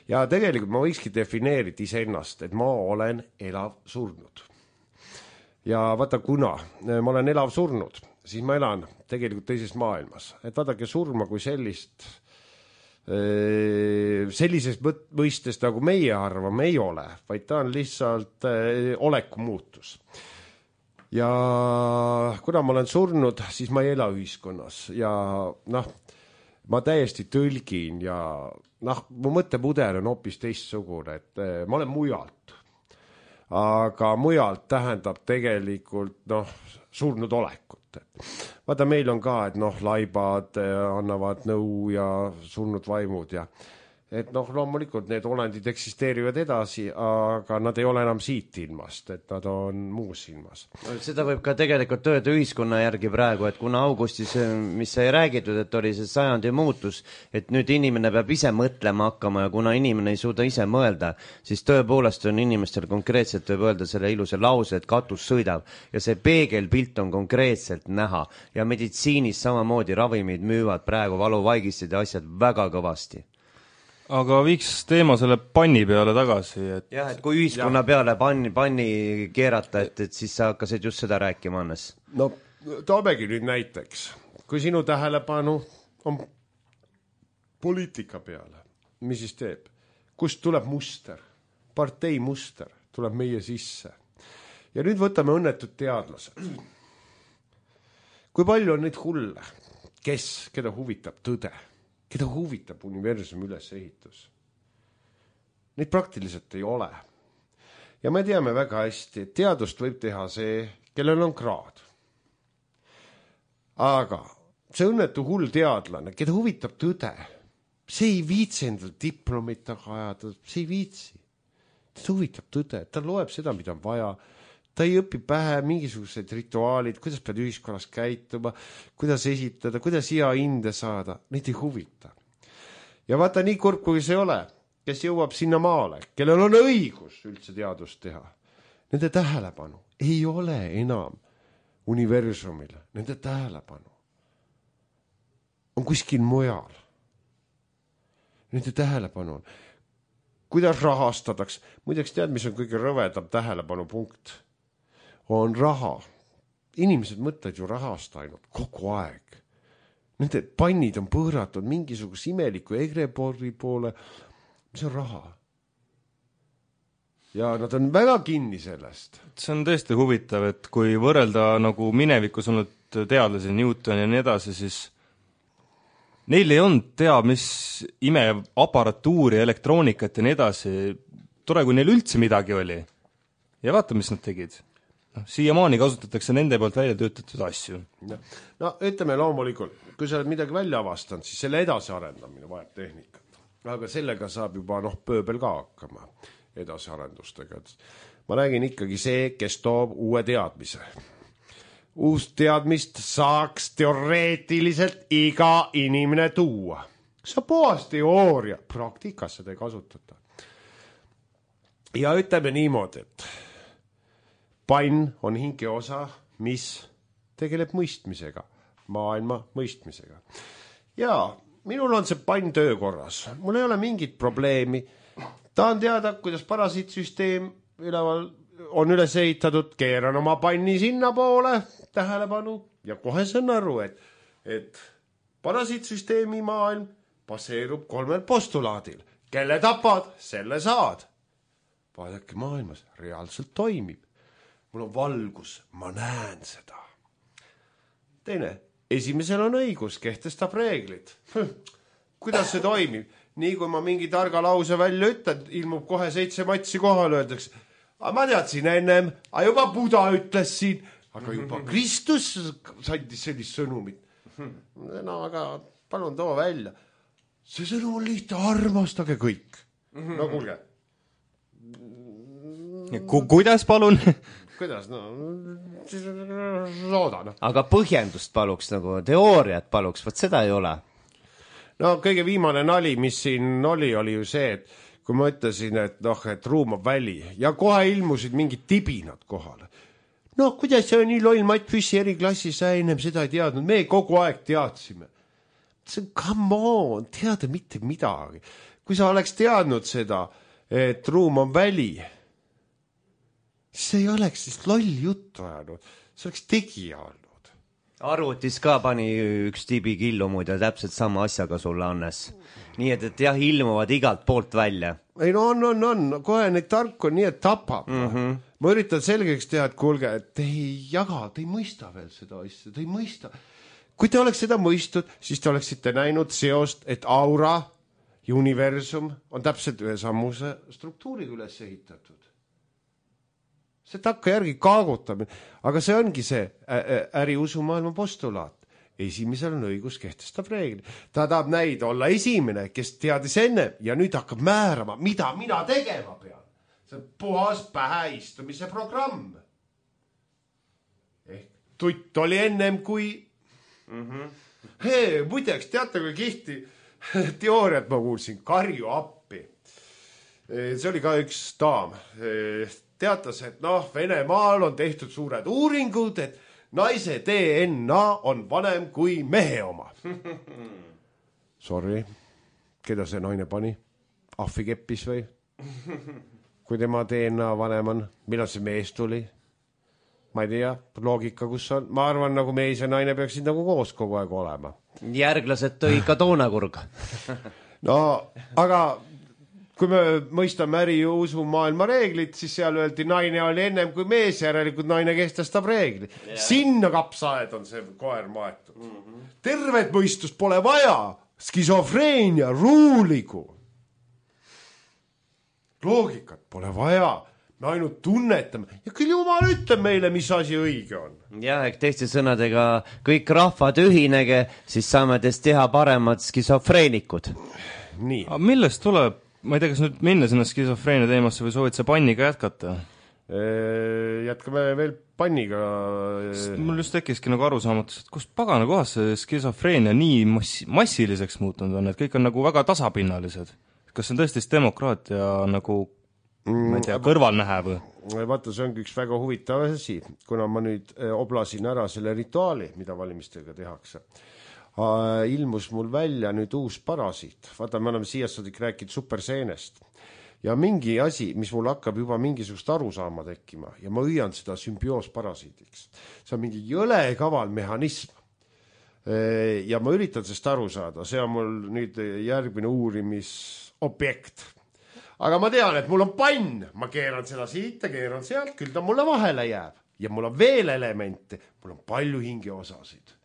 Ja tegelikult ma võikski defineerida iseennast, et ma olen elav surnud. Ja vaata, kuna ma olen elav surnud, siis ma elan tegelikult teises maailmas. Et vaadake, surma kui sellises mõistes, nagu meie arvame, ei ole, vaid ta on lihtsalt oleku muutus. Ja kuna ma olen surnud, siis ma ei ela ühiskonnas ja ma täiesti tõlgin ja mu mõttemudel on hoopis teistsugune, et ma olen mujalt. Aga mujalt tähendab tegelikult surnud olekut. Vaata, meil on ka, et laibad annavad nõu ja surnud vaimud ja et loomulikult need olendid eksisteerivad edasi, aga nad ei ole enam siit ilmast, et nad on muus ilmas. Seda võib ka tegelikult öelda ühiskonna järgi praegu, et kuna augustis, mis sai räägitud, et oli see sajandi muutus, et nüüd inimene peab ise mõtlema hakkama ja kuna inimene ei suuda ise mõelda, siis tõepoolest on inimestel konkreetselt võib öelda selle ilusa lause, et katus sõidab ja see peegelpilt on konkreetselt näha ja meditsiinis samamoodi ravimid müüvad praegu valuvaigistid ja asjad väga kõvasti. Aga viiks teema selle panni peale tagasi. Jah, et kui ühiskonna peale panni keerata, et siis sa hakkasid just seda rääkima, Annes. Toomegi nüüd näiteks. Kui sinu tähelepanu on poliitika peale, mis siis teeb? Kust tuleb muster? Partei muster tuleb meie sisse. Ja nüüd võtame õnnetud teadlased. Kui palju on neid hulle? Keda huvitab tõde? Keda huvitab universumi ülesehitus? Neid praktiliselt ei ole. Ja me teame väga hästi, et teadust võib teha see, kellel on kraad. Aga see õnnetu hull teadlane, keda huvitab tõde, see ei viitsi endal diplomit taga ajada, see ei viitsi. Ta huvitab tõde, ta loeb seda, mida on vaja. Ta ei õpi pähe mingisugused rituaalid, kuidas pead ühiskonnas käituma, kuidas esitada, kuidas hea hinde saada. Neid ei huvita. Ja vaata, nii kurb kui see ole, kes jõuab sinna maale, kellel on õigus üldse teadust teha. Nende tähelepanu ei ole enam universumile. Nende tähelepanu on kuskil mujal. Nende tähelepanu on. Kuidas rahastadaks? Muideks tead, mis on kõige rõvedam tähelepanu punkt? On raha. Inimesed mõtlevad ju rahast ainult kogu aeg. Nende pannid on põõratud mingisuguse imeliku egreporri poole. Mis on raha? Ja nad on väga kinni sellest. See on tõesti huvitav, et kui võrrelda nagu minevikus olnud teadlasi, Newton ja nii edasi, siis neil ei olnud mis imeaparatuuri, elektroonikat ja nii edasi. Tore, kui neil üldse midagi oli. Ja vaata, mis nad tegid. Siiamaani kasutatakse nende poolt välja töötatud asju. Ütleme loomulikult, kui sa oled midagi välja avastanud, siis selle edasiarendamine vajab tehnikat. Aga sellega saab juba pööbel ka hakkama edasiarendustega. Ma räägin ikkagi see, kes toob uue teadmise. Uus teadmist saaks teoreetiliselt iga inimene tuua. See on puhas teooria. Praktikas seda ei kasutata. Ja ütleme niimoodi, et pann on hinge osa, mis tegeleb mõistmisega, maailma mõistmisega. Ja minul on see pann töökorras. Mul ei ole mingit probleemi. Tahan teada, kuidas parasiitsüsteem on üles ehitatud, keeran oma panni sinna poole, tähelepanu, ja kohe saan aru, et parasiitsüsteemi maailm baseerub 3 postulaadil. Kelle tapad, selle saad. Vaadake, maailmas reaalselt toimib. Mul on valgus, ma näen seda. Teine, esimesel on õigus, kehtestab reeglid. Kuidas see toimib? Nii kui ma mingi targa lause välja ütlen, ilmub kohe 7 matsi kohal, öeldakse, ma teadsin ennem, juba Buda ütles siin, aga juba Kristus sandis sellist sõnumit. Aga palun too välja. See sõnum on lihtne, armastage kõik. No kuulge. Kuidas palun? Kuidas? No, loodan. Aga põhjendust paluks nagu, teooriat paluks, võt seda ei ole. No kõige viimane nali, mis siin oli ju see, et kui ma ütlesin, et et ruum on väli ja kohe ilmusid mingid tibinad kohale. No kuidas see on nii loll, Matt Füssi eriklassi, sa ennem seda ei teadnud, me kogu aeg teadsime. See on, come on, teada mitte midagi. Kui sa oleks teadnud seda, et ruum on väli, siis ei oleks siis loll juttu ajanud, see oleks tegija olnud. Arvutis ka pani üks tibi killu muide täpselt sama asjaga sulle, Annes. Nii et jah, ilmuvad igalt poolt välja. Ei no on, kohe neid tarku on nii, et tapab. Ma üritan selgeks teha, et kuulge, et te ei jaga, te ei mõista veel seda asja, te ei mõista. Kui te oleks seda mõistud, siis te oleksite näinud seost, et aura ja universum on täpselt ühe sammuse struktuuriga üles ehitatud. See takka järgi kaagutamine, aga see ongi see äriusumaailma postulaat. Esimesel on õigus kehtestab reegli. Ta tahab näida olla esimene, kes teadis enne ja nüüd hakkab määrama, mida mina tegema pean. See on puhas pähe istumise programm. Ehk tutt oli ennem kui... Muideks, teate kui kihti teooriat ma kuulsin, karju appi. See oli ka üks daam. Teatas, et Venemaal on tehtud suured uuringud, et naise DNA on vanem kui mehe oma. Sorry, keda see naine pani? Ahvi keppis või? Kui tema DNA vanem on, millal see mees tuli? Ma ei tea, loogika kus on. Ma arvan, nagu mees ja naine peaksid nagu koos kogu aeg olema. Järglased tõi ka toonakurg. No, aga... Kui me mõistame äri ja usu maailma reeglid, siis seal öeldi, naine oli ennem kui mees, järelikult naine kehtestab reegli. Yeah. Sinna kapsaaed on see koer maetud. Tervet mõistust pole vaja, skisofreenia, ruuligu. Loogikat pole vaja, me ainult tunnetame. Ja küll jumal ütleb meile, mis asi õige on. Jah, teiste sõnadega, kõik rahvad ühinege, siis saame teist teha paremad skisofreenikud. Nii. Aga millest tuleb? Ma ei tea, kas nüüd minna sinna skisofreenia teemasse või soovid see panniga jätkata? Jätkame veel panniga. Mul just tekkiski nagu arusaamatus, et kust pagana kohas see skisofreenia nii massiliseks muutunud on, et kõik on nagu väga tasapinnalised. Kas see on tõesti demokraatia nagu, ma ei tea, kõrvalnähe või? Vaata, see ongi üks väga huvitav asi, kuna ma nüüd oblasin ära selle rituaali, mida valimistega tehakse. Ilmus mul välja nüüd uus parasiit. Vaata, me oleme siiasadik rääkinud superseenest. Ja mingi asi, mis mul hakkab juba mingisugust arusaama tekkima ja ma hüüan seda sümbioosparasiidiks. See on mingi jõle kaval mehhanism. Ja ma üritan sellest aru saada. See on mul nüüd järgmine uurimisobjekt. Aga ma tean, et mul on pann. Ma keeran seda siit ja keeran sealt, küll ta mulle vahele jääb. Ja mul on veel elemente. Mul on palju hingeosasid.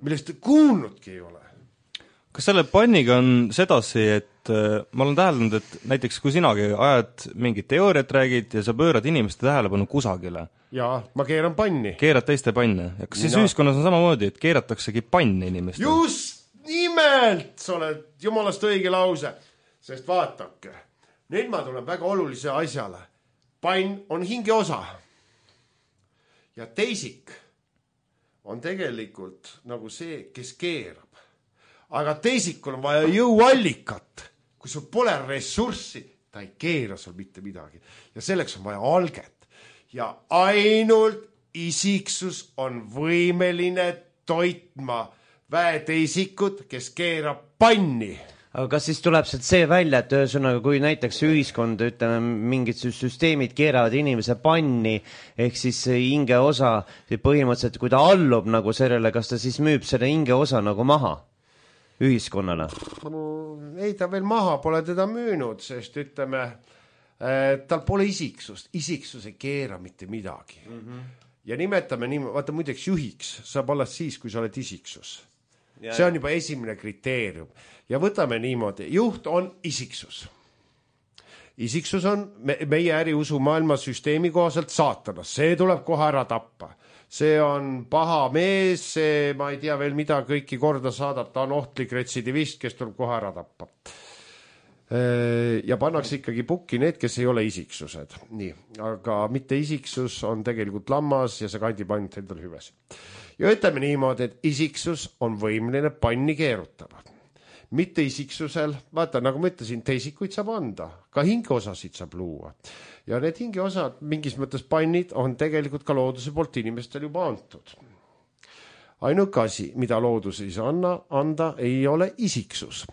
Millest te kuulnudki ei ole. Kas selle panniga on sedasi, et ma olen täheldanud, et näiteks kui sinagi ajad mingit teooriat räägid ja sa pöörad inimeste tähelepanu kusagile. Jaa, ma keeran panni. Keerad teiste panne. Ja kas siis ühiskonnas on samamoodi, et keerataksegi panni inimestele? Just nimelt! Sa oled jumalast õige lause. Sest vaatake, nüüd ma tulen väga olulise asjale. Pann on hingeosa. Ja teisik on tegelikult nagu see, kes keerab. Aga teisikul on vaja jõuallikat. Kui sul pole ressurssi, ta ei keera sul mitte midagi. Ja selleks on vaja alget. Ja ainult isiksus on võimeline toitma väeteisikut, kes keerab panni. Aga kas siis tuleb see välja, et ühesõnaga, kui näiteks ühiskond, ütleme, mingid süsteemid keeravad inimese panni, ehk siis hinge osa, põhimõtteliselt, kui ta allub nagu sellele, kas ta siis müüb selle hinge osa nagu maha ühiskonnale? Ei, ta veel maha pole teda müünud, sest ütleme, tal pole isiksust. Isiksus ei keera mitte midagi. Ja nimetame nii, vaata muideks juhiks, saab olla siis, kui sa oled isiksus. See on juba esimene kriteerium. Ja võtame niimoodi, juht on isiksus. Isiksus on meie äriusu maailma süsteemi kohaselt saatanas. See tuleb kohe ära tappa. see on paha mees, see, ma ei tea veel mida kõiki korda saadab, ta on ohtlik retsidivist, kes tuleb kohe ära tappa. Ja pannakse ikkagi pukki need, kes ei ole isiksused. Nii, aga mitte isiksus on tegelikult lammas ja see kandib ainult endal hüves. Ja ütleme niimoodi, et isiksus on võimeline panni keerutama. Mitte isiksusel, vaata, nagu ma ütlesin, teisikuid saab anda, ka hingeosasid saab luua. Ja need hingeosad, mingis mõttes pannid, on tegelikult ka looduse poolt inimestel juba antud. Ainuke asi, mida loodus ei saa anda, ei ole isiksus.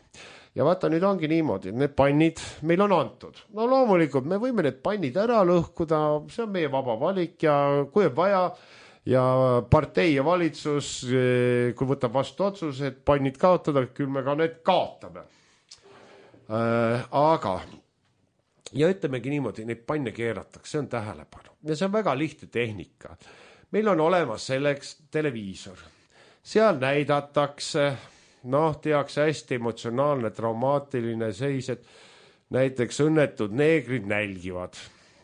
Ja vaata, nüüd ongi niimoodi, et need pannid meil on antud. No loomulikult, me võime need pannid ära lõhkuda, see on meie vaba valik ja kui on vaja ja partei ja valitsus, kui võtab vastu otsus, et pannid kaotada, küll me ka need kaotame. Aga, ja ütlemegi niimoodi, neid panne keeratakse, see on tähelepanu. Ja see on väga lihtne tehnika. Meil on olemas selleks televiisor. Seal näidatakse... tehakse hästi emotsionaalne, traumaatiline seis, et näiteks õnnetud neegrid nälgivad.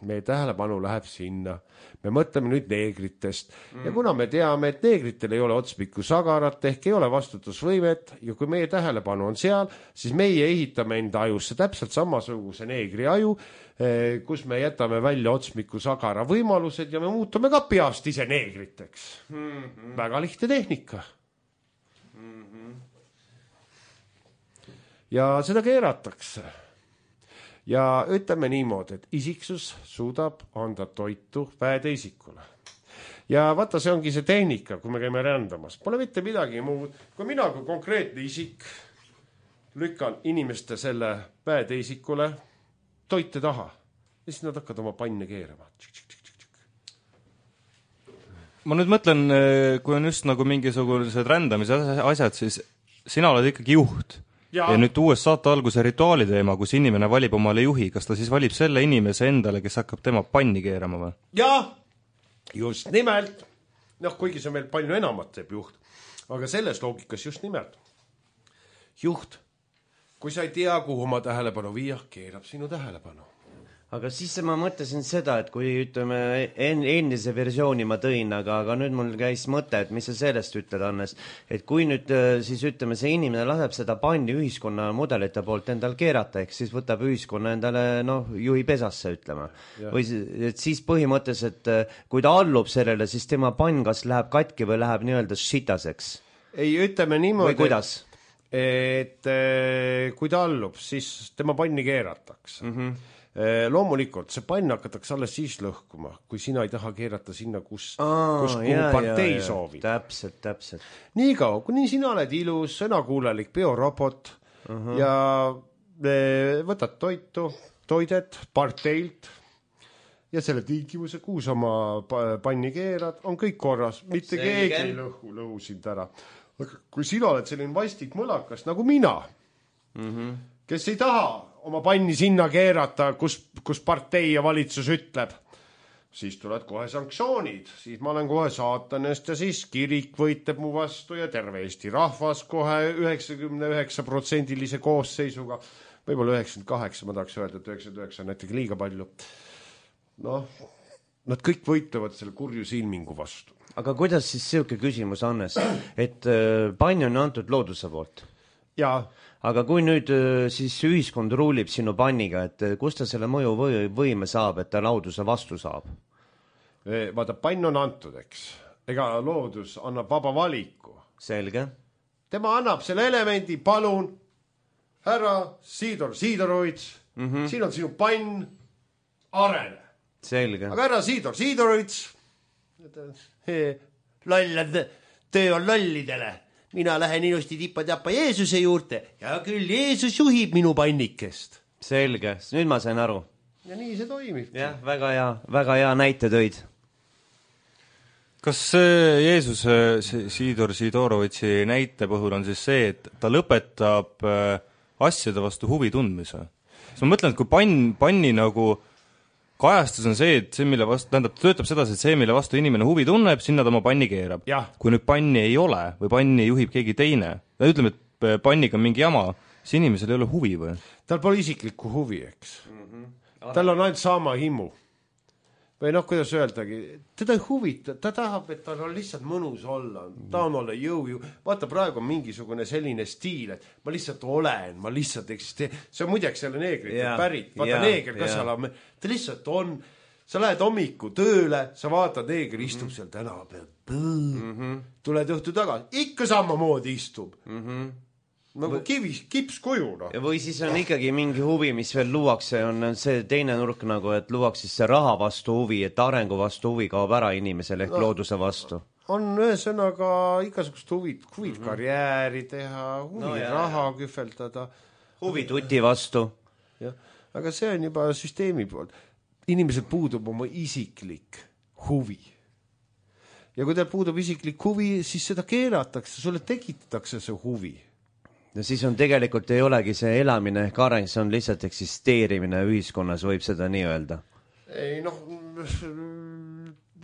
Meie tähelepanu läheb sinna. Me mõtleme nüüd neegritest. Ja kuna me teame, et neegritel ei ole otspikku sagarat, ehk ei ole vastutusvõimet, ja kui meie tähelepanu on seal, siis meie ehitame enda ajusse täpselt samasuguse neegri aju, kus me jätame välja otsmiku sagara võimalused ja me muutume ka peast ise neegriteks. Väga lihtne tehnika. Ja seda keeratakse. Ja ütleme niimoodi, et isiksus suudab anda toitu väeteisikule. Ja vaata, see ongi see tehnika, kui me käime rändamas. Pole mitte midagi muud. Kui mina kui konkreetne isik lükkan inimeste selle väeteisikule toite taha, siis nad hakkavad oma panne keerama. Ma nüüd mõtlen, kui on just nagu mingisugused rändamise asjad, siis sina oled ikkagi juht. Ja nüüd uues saate alguse rituaali teema, kus inimene valib omale juhi, kas ta siis valib selle inimese endale, kes hakkab tema panni keerama või? Jaa, just nimelt. Kuigi see meil palju enamat teeb juht. Aga selles loogikas just nimelt. Juht, kui sa ei tea, kuhu oma tähelepanu viia, keerab sinu tähelepanu. Aga siis ma mõtlesin seda, et kui ütleme endise versiooni ma tõin, aga nüüd mul käis mõte, et mis sa sellest ütled, Hannes, et kui nüüd siis ütleme, see inimene laseb seda panni ühiskonna mudelite poolt endal keerata, ehk siis võtab ühiskonna endale juhi pesasse, ütleme. Või et siis põhimõtteliselt, kui ta allub sellele, siis tema pann kas läheb katki või läheb nii-öelda šitaseks. Ei, ütleme niimoodi, või kuidas? Et kui ta allub, siis tema panni keeratakse. Loomulikult, see pann hakatakse alles siis lõhkuma, kui sina ei taha keerata sinna, kus partei soovib. Täpselt. Nii kaua, kuni sina oled ilus, sõnakuulelik biorobot ja võtad toidet parteilt ja selle tiikivuse, kuhu sa oma panni keerad, on kõik korras, mitte keegi ei lõhu sind ära. Kui sina oled selline vastik mõlakas nagu mina, kes ei taha oma panni sinna keerata, kus partei ja valitsus ütleb, siis tulevad kohe sanktsioonid, siis ma olen kohe saatanest ja siis kirik võitleb mu vastu ja terve Eesti rahvas kohe 99% koosseisuga, võib-olla 98, ma tahaks öelda, et 99 on näiteks liiga palju. Nad kõik võitlevad selle kurju silmingu vastu. Aga kuidas siis selline küsimus, Hannes, et pann on antud looduse poolt? Jaa. Aga kui nüüd siis ühiskond ruulib sinu panniga, et kust ta selle mõju võime saab, et ta looduse vastu saab? Vaata, pann on antud, eks. Ega loodus annab vaba valiku. Selge. Tema annab selle elemendi, palun, härra Siidorovits, siin on sinu pann, arene. Selge. Aga härra Siidorovits, lollad, töö on lollidele. Mina lähen ilusti tippa-tappa Jeesuse juurde ja küll Jeesus juhib minu pannikest. Selge, nüüd ma sain aru. Ja nii see toimib. Jah, väga hea näite tõid. Kas Jeesuse Siidorovitsi näite puhul on siis see, et ta lõpetab asjade vastu huvi tundmise? Ma mõtlen, et kui panni nagu kajastus on see, et see, mille vastu, töötab sedasi, et see, mille vastu inimene huvi tunneb, sinna ta oma panni keerab. Kui nüüd panni ei ole või panni juhib keegi teine, ütleme, et panniga on mingi jama, siis inimesel ei ole huvi või? Tal pole isiklikku huvi, eks. Tal on ainult saama himu. või noh, kuidas öeldagi, teda ei huvita, ta tahab, et tal on lihtsalt mõnus olla, ta on olla jõu. Vaata, praegu on mingisugune selline stiil, et ma lihtsalt olen, ma lihtsalt eksisteerin. See on muideks selle neegrite pärit. Vaata, neeger, kas seal on, ta lihtsalt on, sa lähed hommiku tööle, sa vaatad, neeger istub seal tänava peal, tuled õhtu tagasi, ikka samamoodi istub. Nagu kipskuju, noh. Või siis on ikkagi mingi huvi, mis veel luuakse, on see teine nurk nagu, et luuakse see raha vastu huvi, et arengu vastu huvi kaob ära inimesel ehk looduse vastu. On ühesõnaga igasugust huvid karjääri teha, raha kühveldada. Huvi tuti vastu. Ja, aga see on juba süsteemi poolt. Inimesel puudub oma isiklik huvi. Ja kui teil puudub isiklik huvi, siis seda keelatakse, sulle tekitatakse see huvi. No siis on tegelikult ei olegi see elamine ehk areng, see on lihtsalt eksisteerimine ühiskonnas, võib seda nii öelda. Ei noh,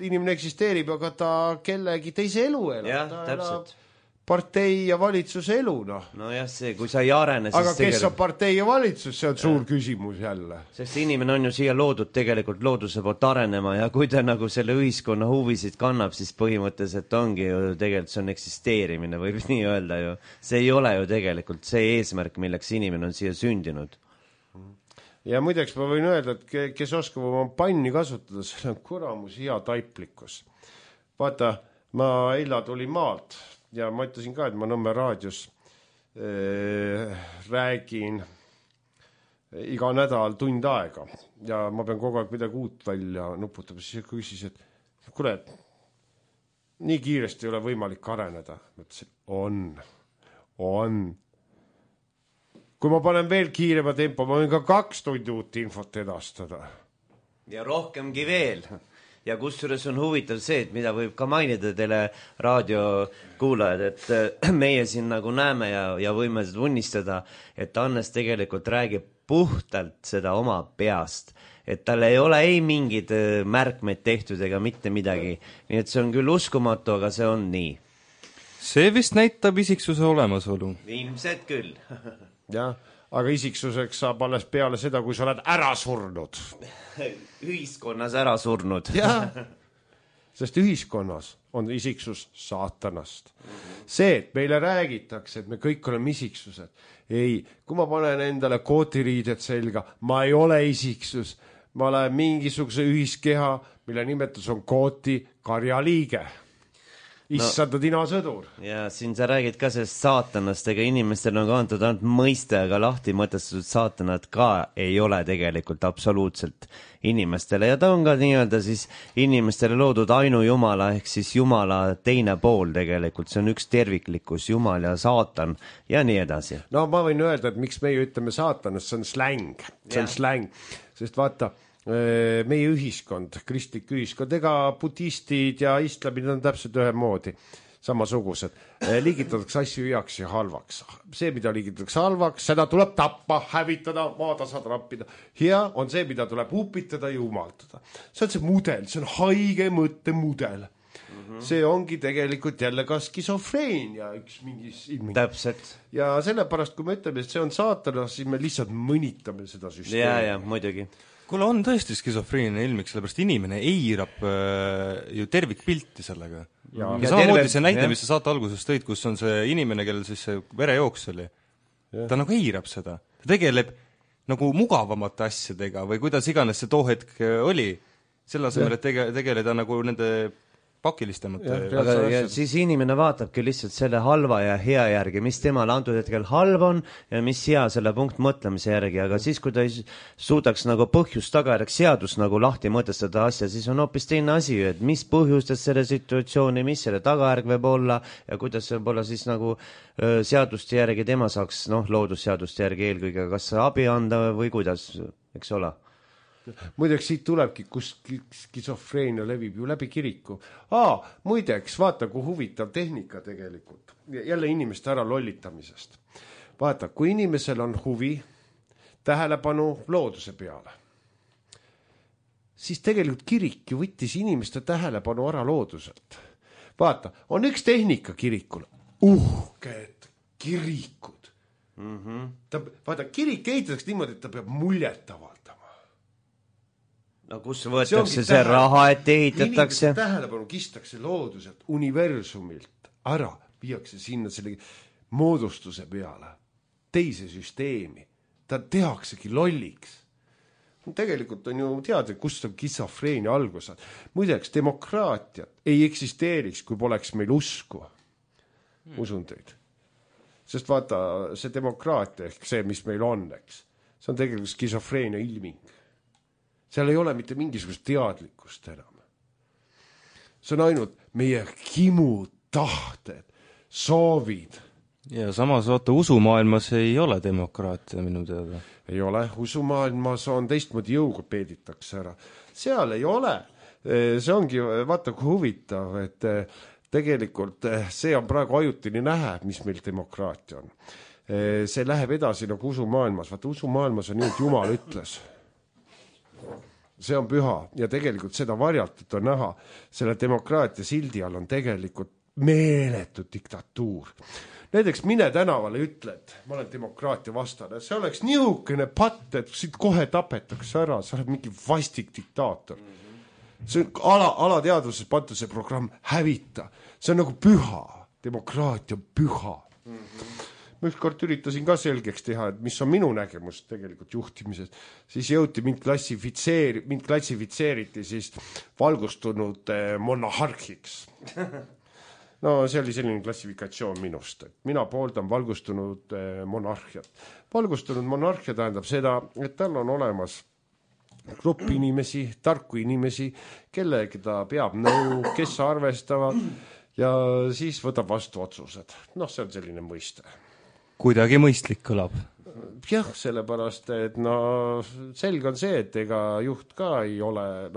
inimene eksisteerib, aga ta kellegi teise elu elab. Jah, täpselt. Partei ja valitsuse elu, noh. No jah, see, kui sa ei arene, siis aga kes on partei ja valitsus, see on suur küsimus jälle. Sest inimene on ju siia loodud tegelikult looduse poolt arenema ja kui ta nagu selle ühiskonna huvisid kannab, siis põhimõtteliselt ongi ju tegelikult see on eksisteerimine, võib nii öelda ju. See ei ole ju tegelikult see eesmärk, milleks inimene on siia sündinud. Ja muideks ma võin öelda, et kes oskab oma panni kasutada, see on kuramus hea taiplikkus. Vaata, ma eila tuli maalt ja ma ütlesin ka, et ma Nõmme raadios räägin iga nädal tund aega ja ma pean kogu aeg midagi uut välja nuputama, siis küsis, et kuule, nii kiiresti ei ole võimalik areneda. Ma ütlesin, on. Kui ma panen veel kiirema tempo, ma võin ka 2 tundi uut infot edastada. Ja rohkemgi veel. Ja kusjuures on huvitav see, et mida võib ka mainida teile raadiokuulajad, et meie siin nagu näeme ja võime tunnistada, et Hannes tegelikult räägib puhtalt seda oma peast, et tal ei ole ei mingid märkmeid tehtud ega mitte midagi. Nii et see on küll uskumatu, aga see on nii. See vist näitab isiksuse olemasolu. Ilmselt küll. Jah, aga isiksuseks saab alles peale seda, kui sa oled ära surnud. Ühiskonnas ära surnud. Jah, sest ühiskonnas on isiksus saatanast. See, et meile räägitakse, et me kõik oleme isiksused. Ei, kui ma panen endale kootiriided selga, ma ei ole isiksus. Ma olen mingisuguse ühiskeha, mille nimetus on kooti karjaliige. Issanda dinasõdur. Ja siin sa räägid ka sellest saatanast, ega inimestel on ka antud ainult mõiste, aga lahti mõtestatud saatanad ka ei ole tegelikult absoluutselt inimestele ja ta on ka nii-öelda siis inimestele loodud ainujumala ehk siis jumala teine pool tegelikult, see on üks terviklikkus, jumal ja saatan ja nii edasi. No ma võin öelda, et miks meie ütleme saatanast, see on släng, släng, sest vaata, meie ühiskond, kristlik ühiskond, ega budistid ja islamid on täpselt ühemoodi, samasugused. Liigitatakse asju heaks ja halvaks. See, mida liigitatakse halvaks, seda tuleb tappa, hävitada, maatasa trappida. Hea on see, mida tuleb upitada ja umaldada. See on see mudel, see on haige mõtte mudel. See ongi tegelikult jälle ka skisofreenia üks mingis ilming. Täpselt. Ja sellepärast, kui me ütleme, et see on saatana, siis me lihtsalt mõnitame seda süsteemi. Ja, muidugi. Kuule, on tõesti skisofreeniline ilmik, sellepärast inimene eirab ju tervikpilti sellega. Ja samamoodi see näide, mis sa saate alguses tõid, kus on see inimene, kellel siis see verejooks oli. Ta nagu eirab seda. Ta tegeleb nagu mugavamate asjadega või kuidas iganes see too hetk oli. Selle asemel, et tegeleda nagu nende pakilistemate. Aga siis inimene vaatabki lihtsalt selle halva ja hea järgi, mis temal antud hetkel halb on ja mis hea selle punkt mõtlemise järgi, aga siis, kui ta ei suudaks nagu põhjust tagajärjeks seadust nagu lahti mõtestada asja, siis on hoopis teine asi, et mis põhjustas selle situatsiooni, mis selle tagajärg võib olla ja kuidas võib olla siis nagu seaduste järgi tema saaks, loodusseaduste järgi eelkõige kas abi anda või kuidas, eks ole. Muideks siit tulebki, kus skisofreenia levib ju läbi kiriku. Muideks, vaata, kui huvitav tehnika tegelikult. Jälle inimeste ära lollitamisest. Vaata, kui inimesel on huvi tähelepanu looduse peale, siis tegelikult kirik ju võttis inimeste tähelepanu ära looduselt. Vaata, on üks tehnika kirikul. Uhked kirikud. Vaata, kirik ehitatakse niimoodi, et ta peab muljet avaldama. no kus võetakse see raha, et ehitatakse? Inimeste tähelepanu kistakse looduselt, universumilt ära, viiakse sinna selle moodustuse peale, teise süsteemi. Ta tehaksegi lolliks. Tegelikult on ju teada, kust on skisofreenia algused. Muideks, demokraatiat ei eksisteeriks, kui poleks meil usku. Usun teid. Sest vaata, see demokraatia ehk see, mis meil on, eks, see on tegelikult skisofreenia ilming. Seal ei ole mitte mingisugust teadlikkust enam. See on ainult meie himud, tahted, soovid. Ja samas vaata, usumaailmas ei ole demokraatia minu teada. Ei ole, usumaailmas on teistmoodi jõuga peeditakse ära. Seal ei ole. See ongi, vaata kui huvitav, et tegelikult see on praegu ajutini nähe, mis meil demokraatia on. See läheb edasi nagu usumaailmas. Vaata, usumaailmas on nii, et Jumal ütles. See on püha ja tegelikult seda varjatut on näha. Selle demokraatia sildi all on tegelikult meeletu diktatuur. Näiteks mine tänavale ütled, ma olen demokraatia vastane. See oleks niisugune patt, et siit kohe tapetakse ära, sa oled mingi vastik diktaator. See on alateadvuses pantu see programm hävita. See on nagu püha. Demokraatia on püha. Ma ükskord üritasin ka selgeks teha, et mis on minu nägemus tegelikult juhtimises. Siis jõuti mind klassifitseeriti siis valgustunud monarhiks. No see oli selline klassifikatsioon minust, et mina pooldan valgustunud monarhiat. Valgustunud monarhia tähendab seda, et tal on olemas grupp inimesi, tarku inimesi, kellega ta peab nõu, kes arvestavad ja siis võtab vastu otsused. Noh, see on selline mõiste. Kuidagi mõistlik kõlab. Jah, sellepärast, et no selge on see, et ega juht ka ei ole,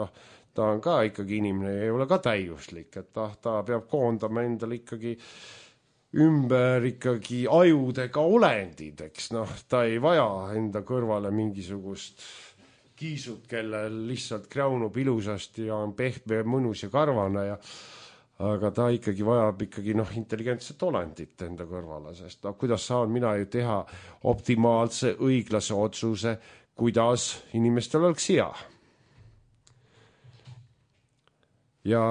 ta on ka ikkagi inimene, ei ole ka täiuslik, et ta peab koondama endale ikkagi ümber ikkagi ajudega olendid, eks ta ei vaja enda kõrvale mingisugust kiisut, kellel lihtsalt kräunub ilusasti ja on pehme, mõnus ja karvane aga ta ikkagi vajab ikkagi intelligentset olendit enda kõrvale, sest kuidas saan mina ju teha optimaalse, õiglase otsuse, kuidas inimestel oleks hea. Ja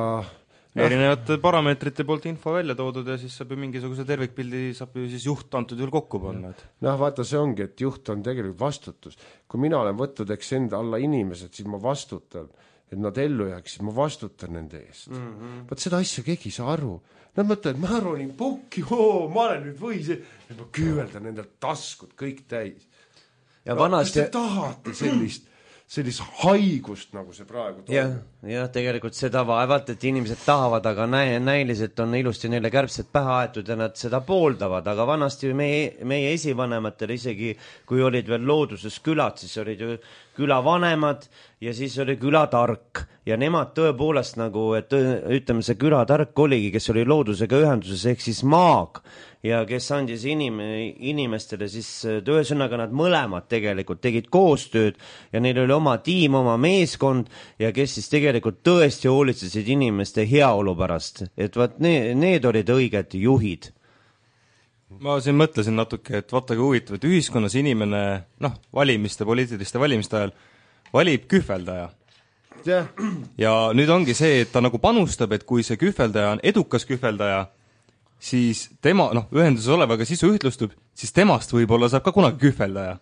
erinevate parameetrite poolt info välja toodud ja siis saab ju mingisuguse tervikpildi saab ju siis juht antud juhul kokku panna. Vaata, see ongi, et juht on tegelikult vastutus. Kui mina olen võtnud enda alla inimesed, siis ma vastutan, et nad ellu jääksid, ma vastutan nende eest. Vaat seda asja keegi ei saa aru. Nad mõtlevad, ma ronin pukki, ma olen nüüd võis, et ma küüveldan endalt taskud kõik täis. Ja vanasti... Kas te tahate sellist haigust, nagu see praegu toimub? Ja tegelikult seda vaevalt, et inimesed tahavad, aga näiliselt on ilusti neile kärbsed pähe aetud ja nad seda pooldavad, aga vanasti meie esivanematel isegi, kui olid veel looduses külad, siis olid ju külavanemad ja siis oli külatark ja nemad tõepoolest nagu, et ütleme, see külatark oligi, kes oli loodusega ühenduses ehk siis maag ja kes andis inimestele siis, ühesõnaga nad mõlemad tegelikult tegid koostööd ja neil oli oma tiim, oma meeskond ja kes siis tegelikult tõesti hoolitsesid inimeste heaolu pärast, et vaat need olid õiged juhid. Ma siin mõtlesin natuke, et vaata kui huvitav, et ühiskonnas inimene, poliitiliste valimiste ajal valib kühveldaja. Ja nüüd ongi see, et ta nagu panustab, et kui see kühveldaja on edukas kühveldaja, siis tema, ühenduses olevaga sisu ühtlustub, siis temast võib-olla saab ka kunagi kühveldaja.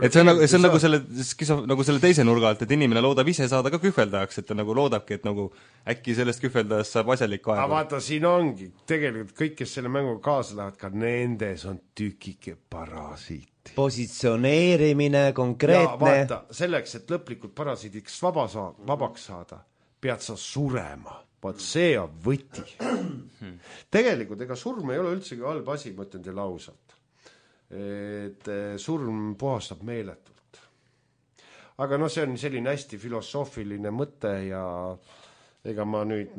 Et see on nagu selle teise nurga alt, et inimene loodab ise saada ka kühveldajaks, et ta nagu loodabki, et nagu äkki sellest kühveldajast saab asjalik aega. Aga vaata, siin ongi tegelikult kõik, kes selle mängu kaasa lähevad, ka nendes on tükike parasiiti. Positsioneerimine, konkreetne. Ja vaata, selleks, et lõplikult parasiidiks vabaks saada, pead sa surema. Vaat see on võti. Tegelikult ega surm ei ole üldsegi halb asi, ma ütlen teile ausalt. Et surm puhastab meeletult. Aga see on selline hästi filosoofiline mõte ja ega ma nüüd,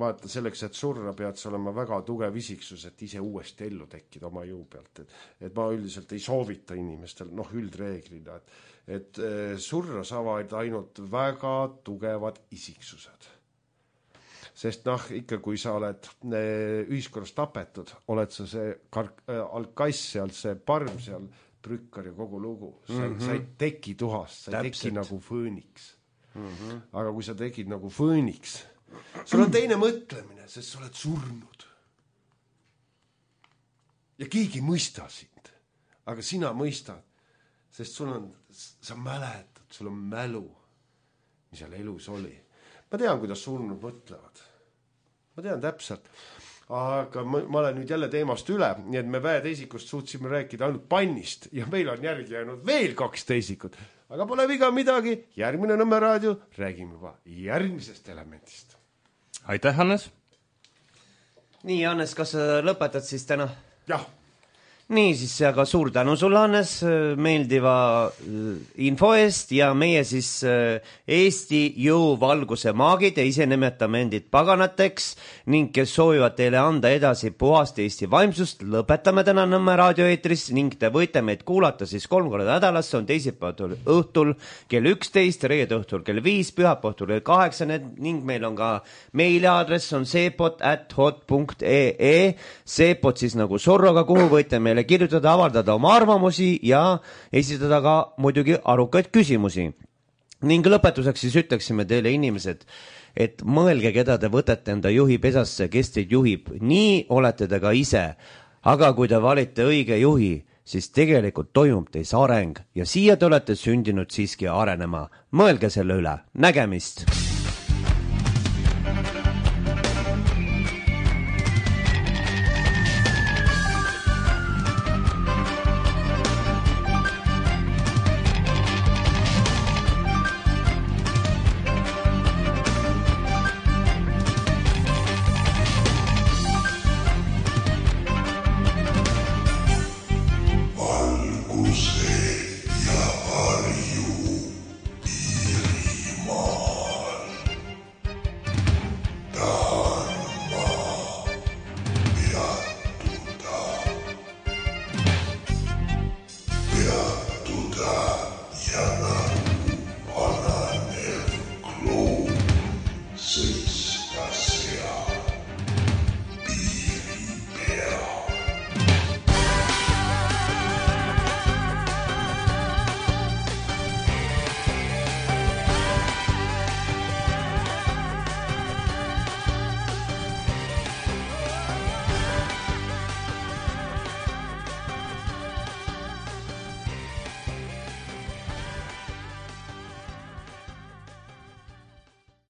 vaata selleks, et surra pead sa olema väga tugev isiksus, et ise uuesti ellu tekkida oma jõu pealt. Et ma üldiselt ei soovita inimestel, üldreeglina, et surra saavad ainult väga tugevad isiksused. Sest ikka kui sa oled ühiskonnas tapetud, oled sa see alkass seal, see parm seal, prükkar ja kogu lugu. Sa ei teki tuhast, sa ei teki nagu fööniks. Aga kui sa tegid nagu Phoenix, sul on teine mõtlemine, sest sa oled surnud. Ja keegi ei mõista sind, aga sina mõistad, sest sa mäletad, sul on mälu, mis seal elus oli. Ma tean, kuidas surnud mõtlevad. Ma tean täpselt. Aga ma olen nüüd jälle teemast üle, nii et me väeteisikust suutsime rääkida ainult pannist ja meil on järgi jäänud veel 2 teisikut. Aga pole viga midagi, järgmine Nõmme raadio, räägime juba järgmisest elemendist. Aitäh, Hannes! Nii, Hannes, kas sa lõpetad siis täna? Jah. Nii, siis aga suur tänu sulle, Hannes, meeldiva info eest ja meie siis Eesti jõuvalguse maagid ja ise nimetame endid paganateks ning kes soovivad teile anda edasi puhast Eesti vaimsust, lõpetame täna Nõmme raadioeetris ning te võite meid kuulata siis 3 korda nädalas, see on teisipäeval õhtul kell 11, reede õhtul kell 5, pühapäeval õhtul kell 8 ning meil on ka meiliaadress on seepot@hot.ee, seepot siis nagu sorroga, kuhu võite meile kirjutada, avaldada oma arvamusi ja esitada ka muidugi arukaid küsimusi. Ning lõpetuseks siis ütleksime teile inimesed, et mõelge, keda te võtate enda juhi pesasse, kes teid juhib. Nii olete te ka ise, aga kui te valite õige juhi, siis tegelikult toimub teis areng ja siia te olete sündinud siiski arenema. Mõelge selle üle. Nägemist!